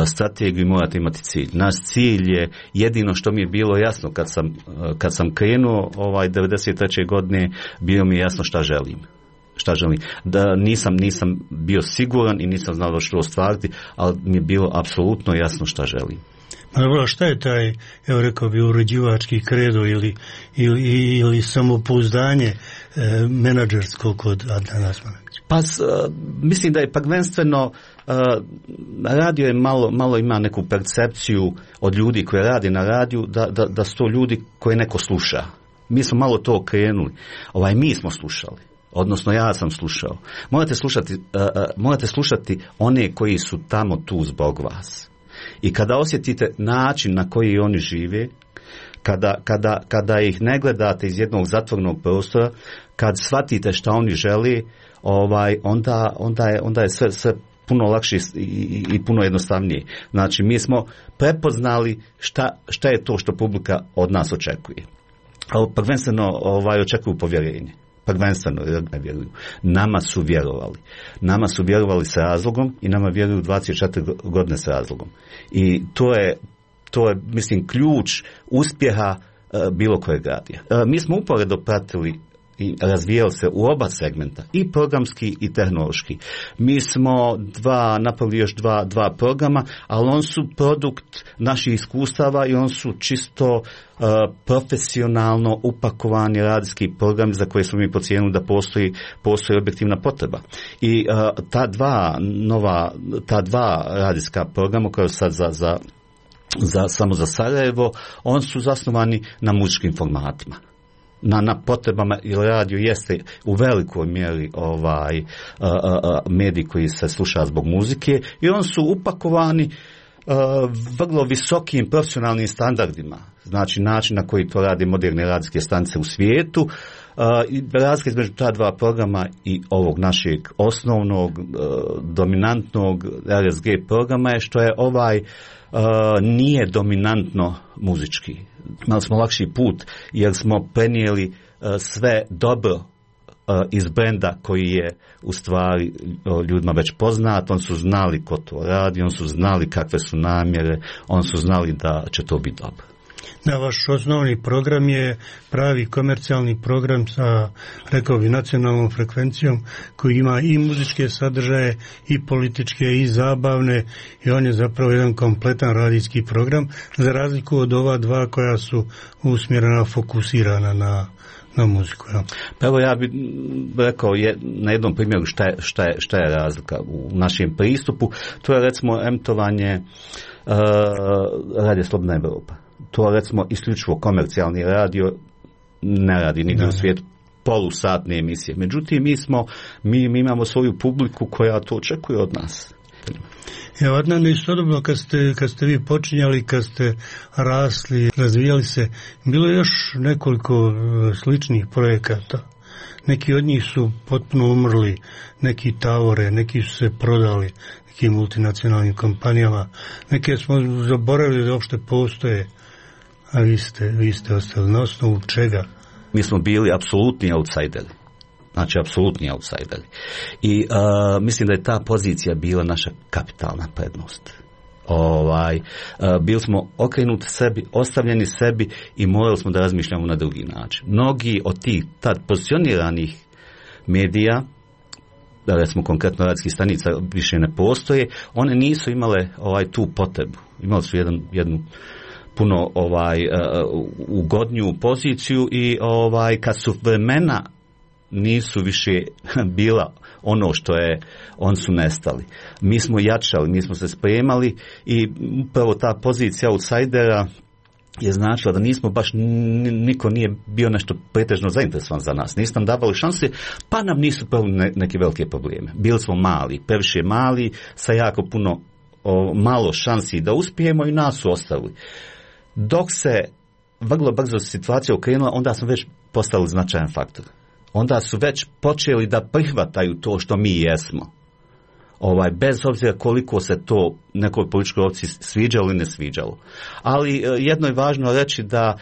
strategiju, morate imati cilj. Naš cilj je jedino što mi je bilo jasno kad sam kad sam krenuo ovaj devedeset treće godine, bilo mi je jasno šta želim. Šta želim. Da nisam nisam bio siguran i nisam znao što ostvariti, ali mi je bilo apsolutno jasno šta želim. Dobro, šta je taj, evo rekao bi, uređivački kredo ili, ili, ili samopouzdanje e, menadžersko kod Adnana Asmanovića? Pa s, mislim da je prvenstveno radio je malo, malo ima neku percepciju od ljudi koji radi na radiju da, da, da su to ljudi koje neko sluša. Mi smo malo to okrenuli. Ovaj, mi smo slušali. Odnosno ja sam slušao. Morate slušati, uh, uh, morate slušati one koji su tamo tu zbog vas. I kada osjetite način na koji oni žive, kada, kada, kada ih ne gledate iz jednog zatvornog prostora, kad shvatite šta oni žele, ovaj, onda, onda je, onda je sve, sve puno lakše i, i, i puno jednostavnije. Znači, mi smo prepoznali šta, šta je to što publika od nas očekuje. Ali prvenstveno ovaj, očekuju povjerenje. Prvenstveno ne vjeruju. Nama su vjerovali. Nama su vjerovali s razlogom i nama vjeruju dvadeset četiri godine s razlogom. I to je, to je mislim, ključ uspjeha uh, bilo kojeg radija. Uh, mi smo uporedo pratili i razvijali se u oba segmenta, i programski i tehnološki. Mi smo dva, napravili još dva, dva programa, ali on su produkt naših iskustava i on su čisto uh, profesionalno upakovani radijski programi za koje smo mi procijenili da postoji, postoji objektivna potreba. I uh, ta dva nova, ta dva radijska programa koja sad za, za, za, samo za Sarajevo, on su zasnovani na muzičkim formatima. Na, na potrebama, jer radio jeste u velikoj mjeri ovaj uh, uh, medij koji se sluša zbog muzike i on su upakovani uh, vrlo visokim profesionalnim standardima, znači način na koji to rade moderne radijske stanice u svijetu. Uh, i razlika između ta dva programa i ovog našeg osnovnog uh, dominantnog R S G programa je što je ovaj uh, nije dominantno muzički. Imali smo lakši put jer smo prenijeli uh, sve dobro uh, iz brenda koji je u stvari uh, ljudima već poznat. On su znali ko to radi, on su znali kakve su namjere, on su znali da će to biti dobro. Da, vaš osnovni program je pravi komercijalni program sa, rekao bi, nacionalnom frekvencijom koji ima i muzičke sadržaje i političke i zabavne i on je zapravo jedan kompletan radijski program za razliku od ova dva koja su usmjerena, fokusirana na na muziku. Ja. Pa evo ja bih rekao je, na jednom primjeru šta je, šta, je, šta je razlika u našem pristupu. To je recimo emitovanje uh, Radio Slobodna Evropa. To recimo isključivo komercijalni radio ne radi nigdje u svijetu polusatne emisije. Međutim, mi smo, mi, mi imamo svoju publiku koja to očekuje od nas. Evo, Adnan, istodobno kad ste, kad ste vi počinjali, kad ste rasli, razvijali se, bilo je još nekoliko sličnih projekata. Neki od njih su potpuno umrli, neki tavore, neki su se prodali nekim multinacionalnim kompanijama, neke smo zaboravili da uopšte postoje, a vi ste, vi ste ostali na osnovu čega? Mi smo bili apsolutni outsideri. Znači, apsolutni outsideri. I uh, mislim da je ta pozicija bila naša kapitalna prednost. Ovaj, uh, bili smo okrenuti sebi, ostavljeni sebi i morali smo da razmišljamo na drugi način. Mnogi od tih tad pozicioniranih medija, da recimo konkretno radijskih stanica više ne postoje, one nisu imale ovaj, tu potrebu. Imali su jedan, jednu puno ovaj, uh, ugodniju poziciju i ovaj, kad su vremena nisu više bila ono što je, on su nestali. Mi smo jačali, mi smo se spremali i upravo ta pozicija outsidera je značila da nismo baš, niko nije bio nešto pretežno zainteresovan za nas. Nisu nam davali šanse, pa nam nisu pravili ne, neke velike probleme. Bili smo mali, previše mali, sa jako puno o, malo šansi da uspijemo i nas su ostavili. Dok se vrlo brzo situacija okrenula, onda smo već postali značajan faktor. Onda su već počeli da prihvataju to što mi jesmo. Ovaj, bez obzira koliko se to nekoj političkoj opciji sviđalo ili ne sviđalo. Ali jedno je važno reći da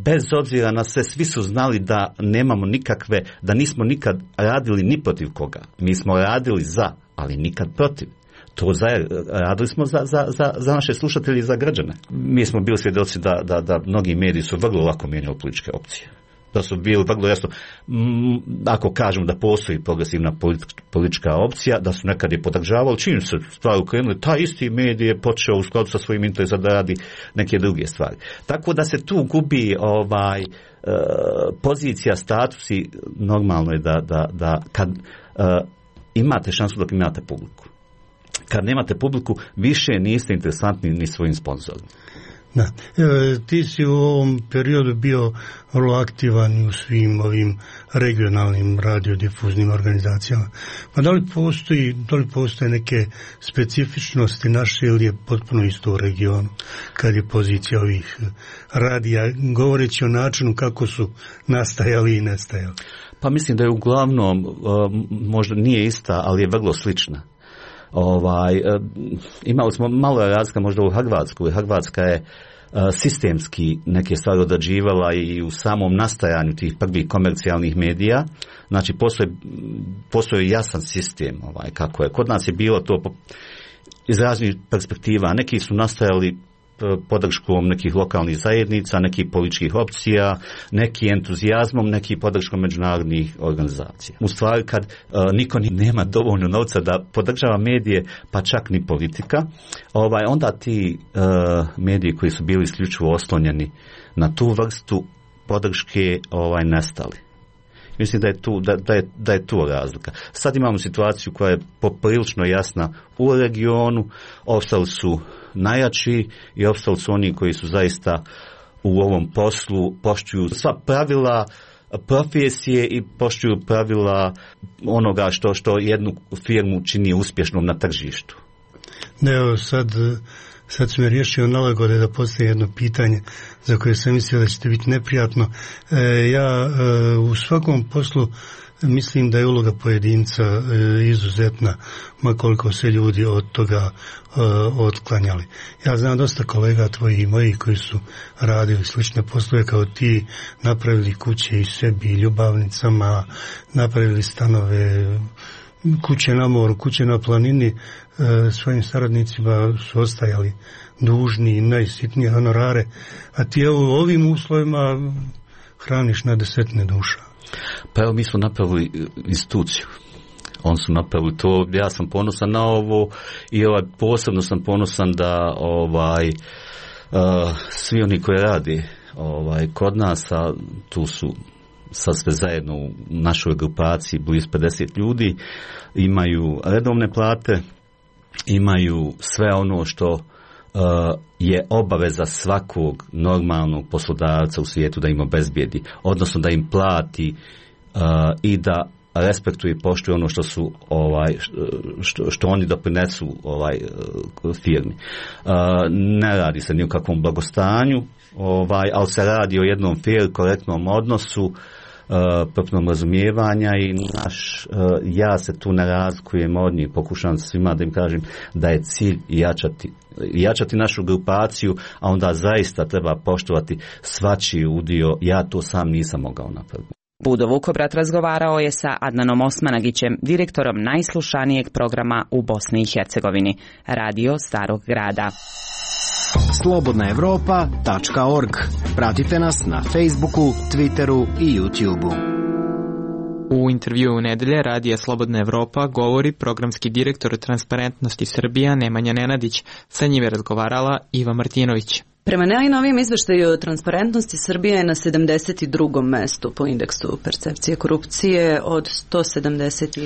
bez obzira na sve, svi su znali da nemamo nikakve, da nismo nikad radili ni protiv koga. Mi smo radili za, ali nikad protiv. To za, radili smo za, za, za, za naše slušatelje i za građane. Mi smo bili svjedoci da, da, da mnogi mediji su vrlo lako mijenjali političke opcije. Da su bili vrlo jasno, ako kažemo da postoji progresivna politička opcija, da su nekad je podržavali, čim se stvari ukrenuli, taj isti medij je počeo u skladu sa svojim interesom da radi neke druge stvari. Tako da se tu gubi ovaj, e, pozicija, statusi, normalno je da, da, da kad e, imate šansu dok imate publiku. Kad nemate publiku, više niste interesantni ni svojim sponzorima. Da. E, ti si u ovom periodu bio vrlo aktivan u svim ovim regionalnim radiodifuznim organizacijama. Pa da li postoji, da li postoje neke specifičnosti naše ili je potpuno isto u regionu kad je pozicija ovih radija, govoreći o načinu kako su nastajali i nestajali? Pa mislim da je uglavnom, možda nije ista, ali je vrlo slična. Ovaj, imali smo malo razlika možda u Hrvatskoj. Hrvatska je sistemski neke stvari odrađivala i u samom nastajanju tih prvih komercijalnih medija. Znači postoji, postoji jasan sistem ovaj, kako je. Kod nas je bilo to iz raznih perspektiva. Neki su nastajali podrškom nekih lokalnih zajednica, nekih političkih opcija, neki entuzijazmom, neki podrškom međunarodnih organizacija. U stvari kad uh, niko nema dovoljno novca da podržava medije, pa čak ni politika, ovaj, onda ti uh, mediji koji su bili isključivo oslonjeni na tu vrstu podrške ovaj, nestali. Mislim da je, tu, da, da, je, da je tu razlika. Sad imamo situaciju koja je poprilično jasna u regionu, ostali su najjači i opstali su oni koji su zaista u ovom poslu poštuju sva pravila profesije i poštuju pravila onoga što, što jednu firmu čini uspješnom na tržištu. Ne, evo sad, sad su me riješio nalagode da postoji jedno pitanje za koje sam mislio da ćete biti neprijatno. E, ja e, u svakom poslu mislim da je uloga pojedinca e, izuzetna, makoliko se ljudi od toga e, otklanjali. Ja znam dosta kolega tvojih i mojih koji su radili slične poslove kao ti, napravili kuće i sebi i ljubavnicama, napravili stanove, kuće na moru, kuće na planini, e, svojim saradnicima su ostajali dužni i najsitnije honorare, a ti evo u ovim uslovima hraniš na desetine duša. Pa evo mi smo napravili instituciju. On su napravili to, ja sam ponosan na ovo i ovaj, posebno sam ponosan da ovaj, uh, svi oni koji radi ovaj, kod nas, a tu su sad sve zajedno u našoj grupaciji blizu pedeset ljudi, imaju redovne plate, imaju sve ono što Uh, je obaveza svakog normalnog poslodavca u svijetu da im obezbijedi, odnosno da im plati uh, i da respektuje i poštuje ono što su ovaj što, što oni doprinesu ovaj firmi. Uh, ne radi se ni o kakvom blagostanju, ovaj, ali se radi o jednom fair, korektnom odnosu, potpunom razumijevanja i naš, ja se tu ne razlikujem od njih, pokušavam svima da im kažem da je cilj jačati, jačati našu grupaciju, a onda zaista treba poštovati svačiji udio, ja to sam nisam mogao napraviti. Budo Vukobrat razgovarao je sa Adnanom Osmanagićem, direktorom najslušanijeg programa u Bosni i Hercegovini, Radio Starog grada. slobodna evropa tačka org. Pratite nas na Facebooku, Twitteru i YouTubeu. U intervjuu nedelje Radija Slobodna Evropa govori programski direktor Transparentnosti Srbija Nemanja Nenadić. Sa njim je razgovarala Iva Martinović. Prema najnovijem izveštaju transparentnosti Srbija je na sedamdeset drugom mestu po indeksu percepcije korupcije od sto sedamdeset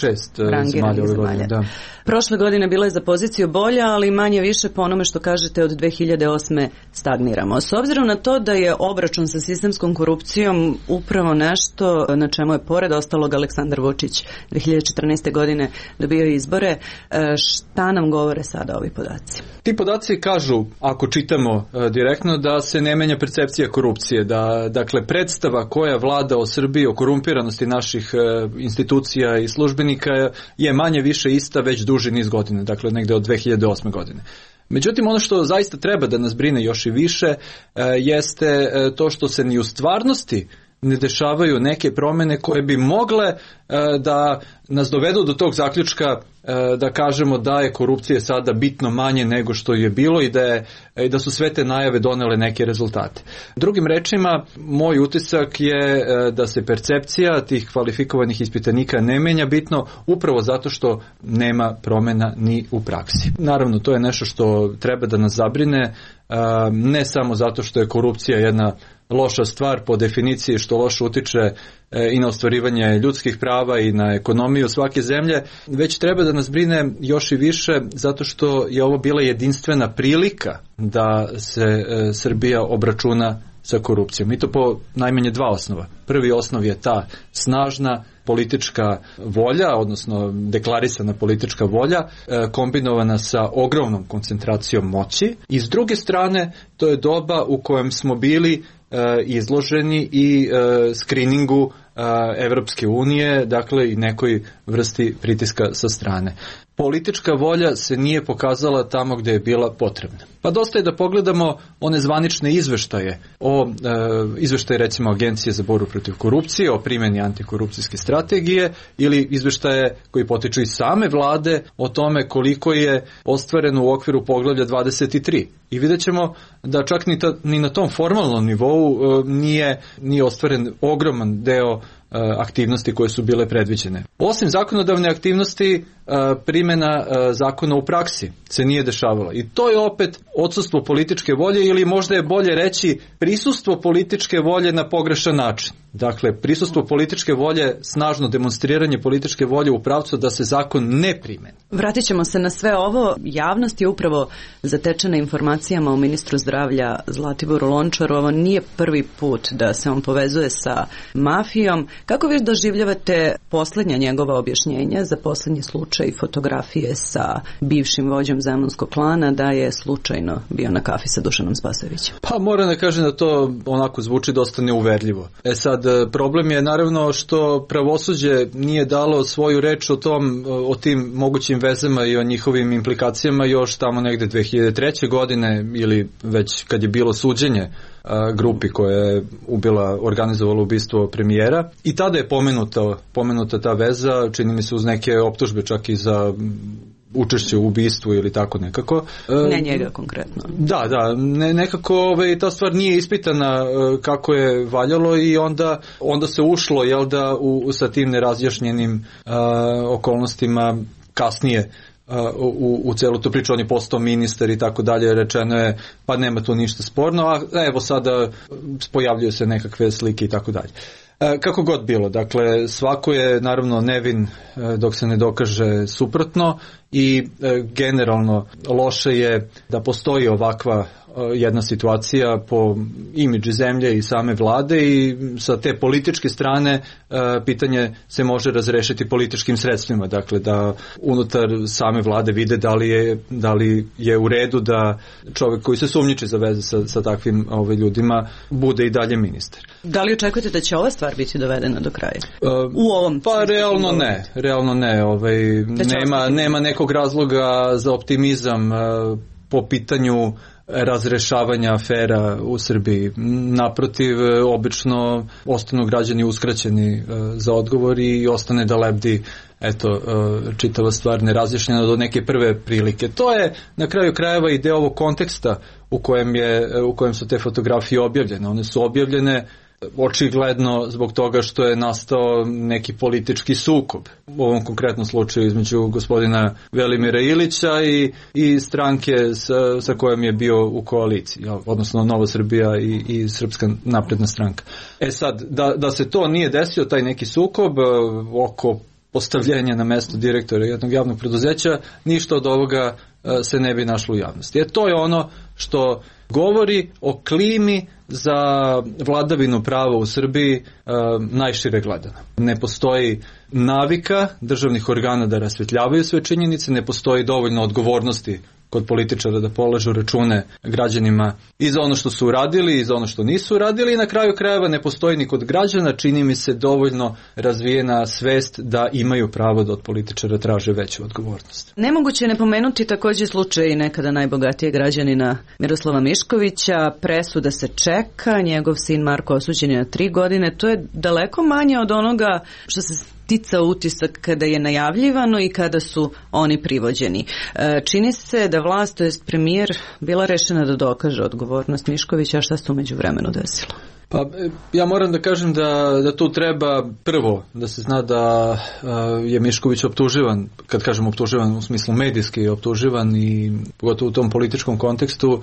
šest rangiranih zemalja. Da. Prošle godine bila je za poziciju bolja, ali manje više po onome što kažete od dve hiljade osme stagniramo. S obzirom na to da je obračun sa sistemskom korupcijom upravo nešto na čemu je pored ostalog Aleksandar Vučić dve hiljade četrnaeste. godine dobio izbore, šta nam govore sada ovi podaci? Ti podaci kažu, ako čitamo direktno, da se ne menja percepcija korupcije, da dakle predstava koja vlada o Srbiji, o korumpiranosti naših institucija i službenika je manje više ista već duži niz godina, dakle negde od dve hiljade osme. godine. Međutim, ono što zaista treba da nas brine još i više jeste to što se ni u stvarnosti ne dešavaju neke promjene koje bi mogle da nas dovedu do tog zaključka da kažemo da je korupcije sada bitno manje nego što je bilo i da, je, i da su sve te najave donele neke rezultate. Drugim rečima, moj utisak je da se percepcija tih kvalifikovanih ispitanika ne menja bitno upravo zato što nema promjena ni u praksi. Naravno, to je nešto što treba da nas zabrine, ne samo zato što je korupcija jedna loša stvar po definiciji što loše utiče i na ostvarivanje ljudskih prava i na ekonomiju svake zemlje, već treba da nas brine još i više zato što je ovo bila jedinstvena prilika da se Srbija obračuna sa korupcijom. I to po najmanje dva osnova. Prvi osnov je ta snažna politička volja, odnosno deklarisana politička volja, kombinovana sa ogromnom koncentracijom moći. I s druge strane, to je doba u kojem smo bili izloženi i skriningu Evropske unije, dakle i nekoj vrsti pritiska sa strane. Politička volja se nije pokazala tamo gdje je bila potrebna. Pa dosta je da pogledamo one zvanične izveštaje o e, izveštaje recimo Agencije za borbu protiv korupcije, o primjeni antikorupcijske strategije ili izveštaje koji potiču iz same vlade o tome koliko je ostvareno u okviru poglavlja dvadeset tri. I vidjet ćemo da čak ni, ta, ni na tom formalnom nivou e, nije, nije ostvaren ogroman deo aktivnosti koje su bile predviđene. Osim zakonodavne aktivnosti, primjena zakona u praksi se nije dešavala. I to je opet odsustvo političke volje ili možda je bolje reći prisustvo političke volje na pogrešan način. Dakle, prisustvo političke volje, snažno demonstriranje političke volje u pravcu da se zakon ne primeni. Vratit ćemo se na sve ovo. Javnost je upravo zatečena informacijama o ministru zdravlja Zlatiboru Lončaru. Ovo nije prvi put da se on povezuje sa mafijom. Kako vi doživljavate posljednja njegova objašnjenja za posljednji slučaj i fotografije sa bivšim vođom zemunskog klana da je slučajno bio na kafi sa Dušanom Spasojevićem? Pa moram da kažem da to onako zvuči dosta neuverljivo. E sad, problem je naravno što pravosuđe nije dalo svoju reč o tom, o tim mogućim vezama i o njihovim implikacijama još tamo negde dve hiljade treće. godine ili već kad je bilo suđenje grupi koja je ubila, organizovala ubistvo premijera. I tada je pomenuta, pomenuta ta veza, čini mi se uz neke optužbe čak i za učešće u ubistvu ili tako nekako. Ne njega konkretno. Da, da, ne, nekako ove, ta stvar nije ispitana kako je valjalo i onda, onda se ušlo, jel da, u, sa tim nerazjašnjenim a, okolnostima kasnije u, u celu tu priču. On je postao ministar i tako dalje, rečeno je pa nema tu ništa sporno, a evo sada pojavljuju se nekakve slike i tako dalje. Kako god bilo, dakle svako je naravno nevin dok se ne dokaže suprotno i generalno loše je da postoji ovakva jedna situacija po imidži zemlje i same vlade i sa te političke strane pitanje se može razrešiti političkim sredstvima, dakle da unutar same vlade vide da li je, da li je u redu da čovjek koji se sumnjiči za veze sa, sa takvim ovaj, ljudima bude i dalje ministar. Da li očekujete da će ova stvar biti dovedena do kraja? Uh, u ovom pa realno ne, realno ne, ovaj, nema, nema nekog razloga za optimizam uh, po pitanju razrešavanja afera u Srbiji. Naprotiv, obično ostanu građani uskraćeni za odgovor i ostane da lebdi eto, čitava stvar nerazjašnjena do neke prve prilike. To je na kraju krajeva i deo ovog konteksta u kojem, je, u kojem su te fotografije objavljene. One su objavljene očigledno zbog toga što je nastao neki politički sukob u ovom konkretnom slučaju između gospodina Velimira Ilića i, i stranke sa, sa kojom je bio u koaliciji, odnosno Nova Srbija i, i Srpska napredna stranka. E sad, da, da se to nije desio, taj neki sukob oko postavljenja na mesto direktora jednog javnog preduzeća, ništa od ovoga se ne bi našlo u javnosti. E to je ono što govori o klimi za vladavinu prava u Srbiji e, najšire gledano. Ne postoji navika državnih organa da rasvetljavaju sve činjenice, ne postoji dovoljno odgovornosti kod političara da polažu račune građanima i za ono što su uradili i za ono što nisu uradili i na kraju krajeva ne postoji ni kod građana, čini mi se, dovoljno razvijena svest da imaju pravo da od političara traže veću odgovornost. Nemoguće je ne pomenuti također slučaj nekada najbogatijeg građanina Miroslava Miškovića, presuda se čeka, njegov sin Marko osuđen je na tri godine, to je daleko manje od onoga što se stica utisak kada je najavljivano i kada su oni privođeni. Čini se da vlast, to jest premijer, bila rešena da dokaže odgovornost Miškovića, a šta se u međuvremenu desilo? Pa ja moram da kažem da, da tu treba prvo da se zna da je Mišković optuživan, kad kažem optuživan u smislu medijski optuživan i pogotovo u tom političkom kontekstu,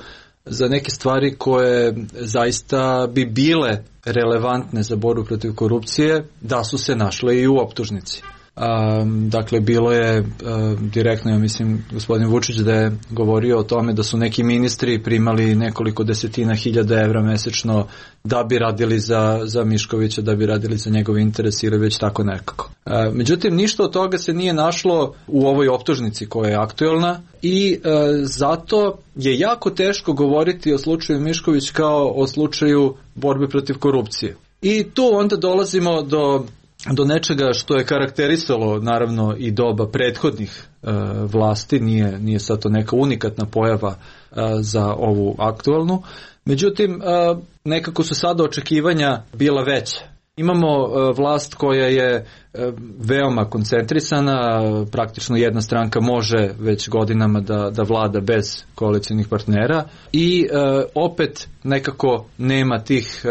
za neke stvari koje zaista bi bile relevantne za borbu protiv korupcije, da su se našle i u optužnici. Um, dakle, bilo je um, direktno, ja mislim, gospodin Vučić da je govorio o tome da su neki ministri primali nekoliko desetina hiljada evra mesečno da bi radili za, za Miškovića, da bi radili za njegov interes ili već tako nekako. Uh, međutim, ništa od toga se nije našlo u ovoj optužnici koja je aktuelna i uh, zato je jako teško govoriti o slučaju Mišković kao o slučaju borbe protiv korupcije. I tu onda dolazimo do do nečega što je karakterisalo naravno i doba prethodnih e, vlasti, nije, nije sad to neka unikatna pojava e, za ovu aktualnu. Međutim, e, nekako su sada očekivanja bila veća. Imamo e, vlast koja je e, veoma koncentrisana, praktično jedna stranka može već godinama da, da vlada bez koalicijnih partnera i e, opet nekako nema tih e,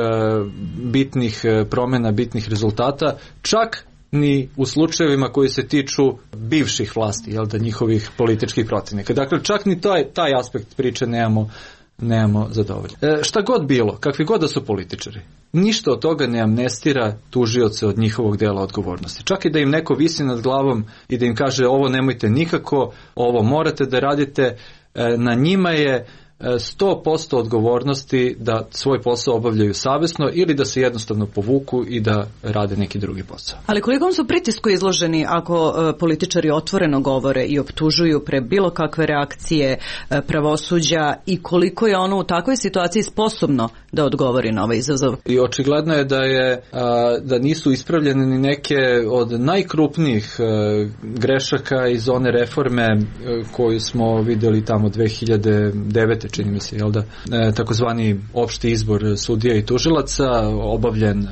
bitnih promjena, bitnih rezultata, čak ni u slučajevima koji se tiču bivših vlasti, jel da, njihovih političkih protivnika. Dakle, čak ni taj, taj aspekt priče nemamo nemamo zadovoljno. E, šta god bilo, kakvi god da su političari, ništa od toga ne amnestira tužioce od njihovog dela odgovornosti. Čak i da im neko visi nad glavom i da im kaže ovo nemojte nikako, ovo morate da radite, e, na njima je sto posto odgovornosti da svoj posao obavljaju savjesno ili da se jednostavno povuku i da rade neki drugi posao. Ali kolikom su pritisku izloženi ako e, političari otvoreno govore i optužuju pre bilo kakve reakcije e, pravosuđa i koliko je ono u takvoj situaciji sposobno da odgovori na ovaj izazov? I očigledno je da je a, da nisu ispravljene ni neke od najkrupnijih a, grešaka iz one reforme a, koju smo vidjeli tamo dve hiljade devete čini mi se, jel da, e, takozvani opšti izbor sudija i tužilaca, obavljen e,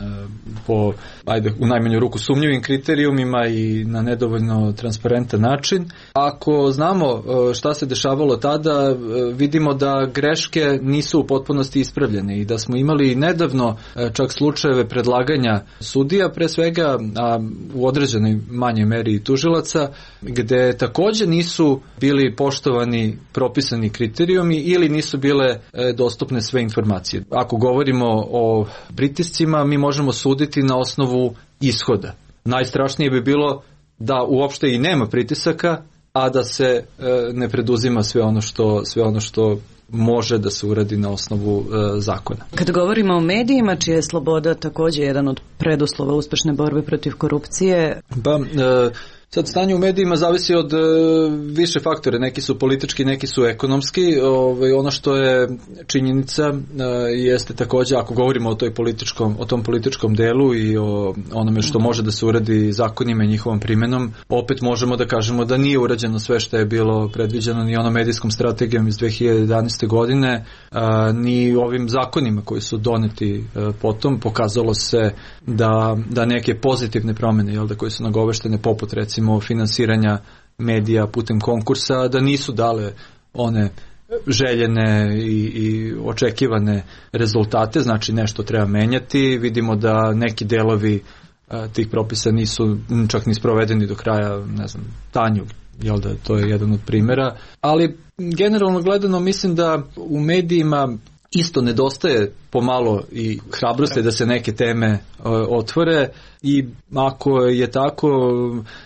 po, ajde, u najmanju ruku sumnjivim kriterijumima i na nedovoljno transparentan način. Ako znamo e, šta se dešavalo tada, e, vidimo da greške nisu u potpunosti ispravljene i da smo imali nedavno e, čak slučajeve predlaganja sudija, pre svega, a u određenoj manjoj meri i tužilaca, gde također nisu bili poštovani propisani kriterijumi ili nisu bile e, dostupne sve informacije. Ako govorimo o pritiscima, mi možemo suditi na osnovu ishoda. Najstrašnije bi bilo da uopšte i nema pritisaka, a da se e, ne preduzima sve ono što sve ono što može da se uradi na osnovu e, zakona. Kad govorimo o medijima, čija je sloboda također jedan od preduslova uspešne borbe protiv korupcije? Ba, e, Sad stanje u medijima zavisi od e, više faktore, neki su politički, neki su ekonomski. Ovaj, ono što je činjenica e, jeste također, ako govorimo o, toj političkom, o tom političkom delu i o onome što može da se uradi zakonima i njihovom primjenom, opet možemo da kažemo da nije urađeno sve što je bilo predviđeno ni onom medijskom strategijom iz dve hiljade jedanaeste. godine, a, ni ovim zakonima koji su doneti a, potom. Pokazalo se da, da neke pozitivne promjene, jel da, koje su nagoveštene, poput recimo finansiranja medija putem konkursa, da nisu dale one željene i, i očekivane rezultate, znači nešto treba menjati. Vidimo da neki delovi a, tih propisa nisu čak ni sprovedeni do kraja, ne znam, Tanjug, jel da, to je jedan od primjera, ali generalno gledano mislim da u medijima isto nedostaje pomalo i hrabrosti da se neke teme uh, otvore, i ako je tako,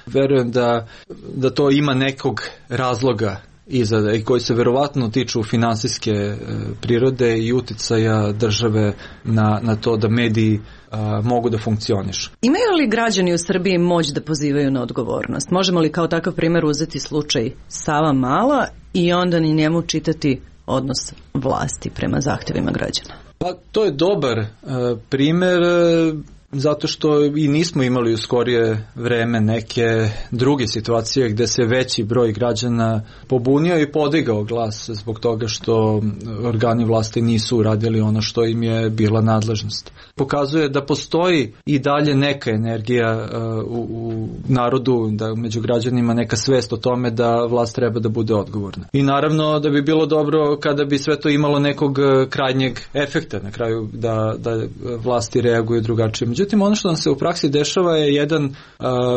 verujem da, da to ima nekog razloga iza, i koji se verovatno tiču finansijske uh, prirode i uticaja države na, na to da mediji a, mogu da funkcionišu. Imaju li građani u Srbiji moć da pozivaju na odgovornost? Možemo li kao takav primjer uzeti slučaj Savamala i onda ni njemu čitati odnos vlasti prema zahtjevima građana? Pa to je dobar uh, primjer, uh, zato što i nismo imali u skorije vreme neke druge situacije gdje se veći broj građana pobunio i podigao glas zbog toga što organi vlasti nisu uradili ono što im je bila nadležnost. Pokazuje da postoji i dalje neka energija uh, u, u narodu, da među građanima neka svest o tome da vlast treba da bude odgovorna. I naravno da bi bilo dobro kada bi sve to imalo nekog krajnjeg efekta na kraju, da, da vlasti reaguju drugačije. Međutim, ono što nam se u praksi dešava je jedan uh,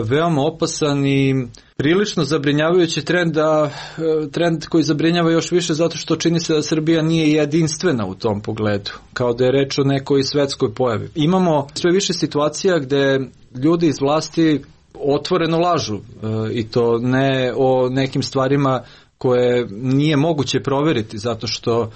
veoma opasan i prilično zabrinjavajući trend, da, trend koji zabrinjava još više zato što čini se da Srbija nije jedinstvena u tom pogledu, kao da je reč o nekoj svetskoj pojavi. Imamo sve više situacija gde ljudi iz vlasti otvoreno lažu, uh, i to ne o nekim stvarima koje nije moguće proveriti zato što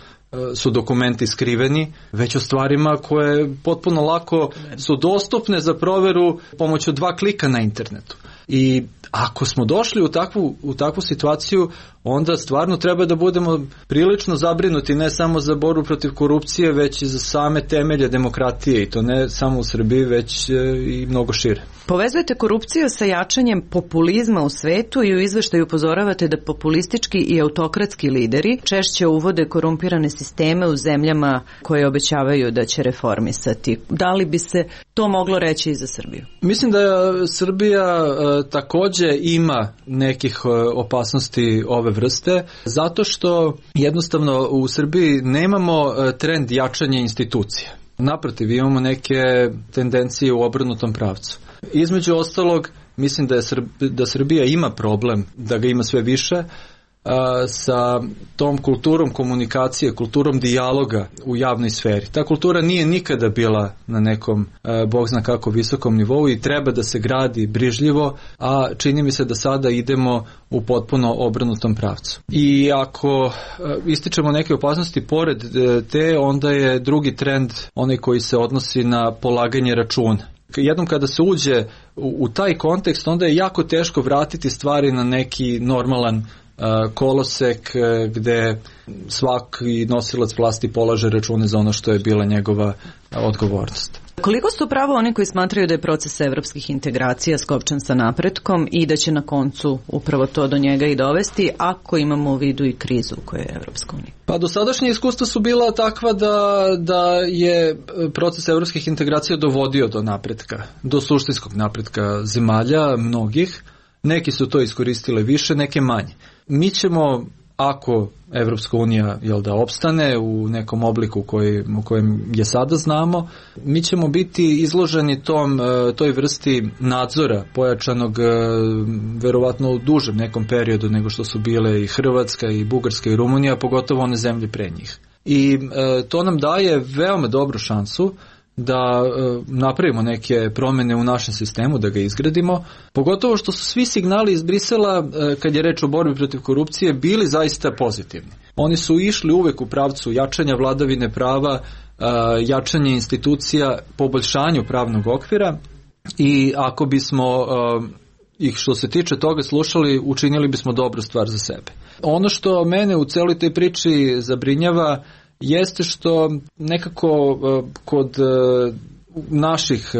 su dokumenti skriveni, već o stvarima koje potpuno lako su dostupne za proveru pomoću dva klika na internetu. I ako smo došli u takvu, u takvu situaciju, onda stvarno treba da budemo prilično zabrinuti ne samo za borbu protiv korupcije, već i za same temelje demokratije, i to ne samo u Srbiji, već i mnogo šire. Povezujete korupciju sa jačanjem populizma u svetu i u izveštaju upozoravate da populistički i autokratski lideri češće uvode korumpirane sisteme u zemljama koje obećavaju da će reformisati. Da li bi se to moglo reći i za Srbiju? Mislim da Srbija e, također ima nekih e, opasnosti ove vrste, zato što jednostavno u Srbiji nemamo e, trend jačanja institucija. Naprotiv, imamo neke tendencije u obrnutom pravcu. Između ostalog, mislim da, je Srb, da Srbija ima problem, da ga ima sve više, a, sa tom kulturom komunikacije, kulturom dijaloga u javnoj sferi. Ta kultura nije nikada bila na nekom, a, bog zna kako, visokom nivou i treba da se gradi brižljivo, a čini mi se da sada idemo u potpuno obrnutom pravcu. I ako a, ističemo neke opasnosti pored te, onda je drugi trend onaj koji se odnosi na polaganje računa. Jednom kada se uđe u, u taj kontekst, onda je jako teško vratiti stvari na neki normalan uh, kolosek uh, gde svaki nosilac vlasti polaže račune za ono što je bila njegova uh, odgovornost. Koliko su pravo oni koji smatraju da je proces evropskih integracija skopčan sa napretkom i da će na koncu upravo to do njega i dovesti, ako imamo u vidu i krizu koja je Evropska unija? Pa dosadašnje iskustva su bila takva da, da je proces evropskih integracija dovodio do napretka, do suštinskog napretka zemalja, mnogih. Neki su to iskoristile više, neke manje. Mi ćemo, ako Evropska unija, jel da, opstane u nekom obliku koji, u kojem je sada znamo, mi ćemo biti izloženi tom, toj vrsti nadzora pojačanog verovatno u dužem nekom periodu nego što su bile i Hrvatska i Bugarska i Rumunija, pogotovo one zemlje pre njih. I to nam daje veoma dobru šansu da e, napravimo neke promjene u našem sistemu, da ga izgradimo, pogotovo što su svi signali iz Brisela, e, kad je reč o borbi protiv korupcije, bili zaista pozitivni. Oni su išli uvek u pravcu jačanja vladavine prava, e, jačanja institucija, poboljšanju pravnog okvira, i ako bismo e, ih što se tiče toga slušali, učinili bismo dobru stvar za sebe. Ono što mene u celoj toj priči zabrinjava jeste što nekako kod naših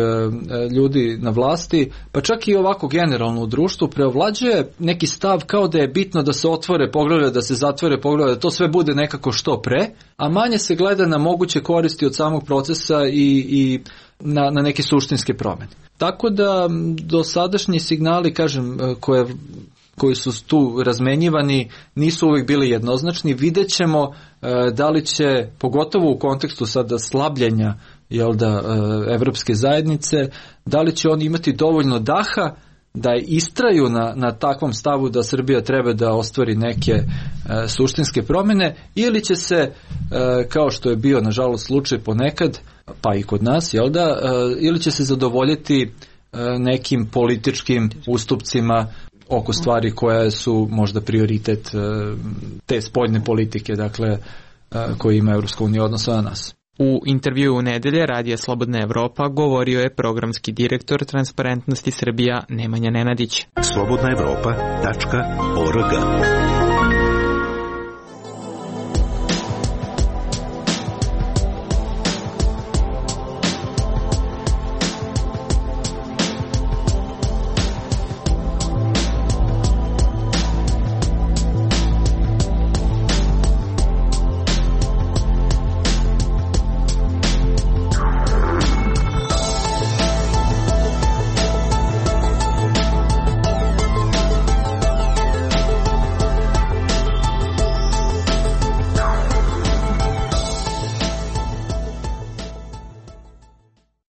ljudi na vlasti, pa čak i ovako generalno u društvu, preovlađuje neki stav kao da je bitno da se otvore poglavlja, da se zatvore poglavlja, da to sve bude nekako što pre, a manje se gleda na moguće koristi od samog procesa i, i na, na neke suštinske promjene. Tako da dosadašnji signali, kažem, koje, koji su tu razmenjivani, nisu uvijek bili jednoznačni. Vidjet ćemo da li će, pogotovo u kontekstu sada slabljenja, jel da, evropske zajednice, da li će oni imati dovoljno daha da istraju na, na takvom stavu da Srbija treba da ostvari neke e, suštinske promjene, ili će se, e, kao što je bio nažalost slučaj ponekad, pa i kod nas, jel da, e, ili će se zadovoljiti e, nekim političkim ustupcima oko stvari koje su možda prioritet e, te spoljne politike, dakle, e, koje ima Evropska unija odnosno na nas. U intervjuu u nedelje Radija Slobodna Evropa govorio je programski direktor Transparentnosti Srbija Nemanja Nenadić. slobodna evropa tačka org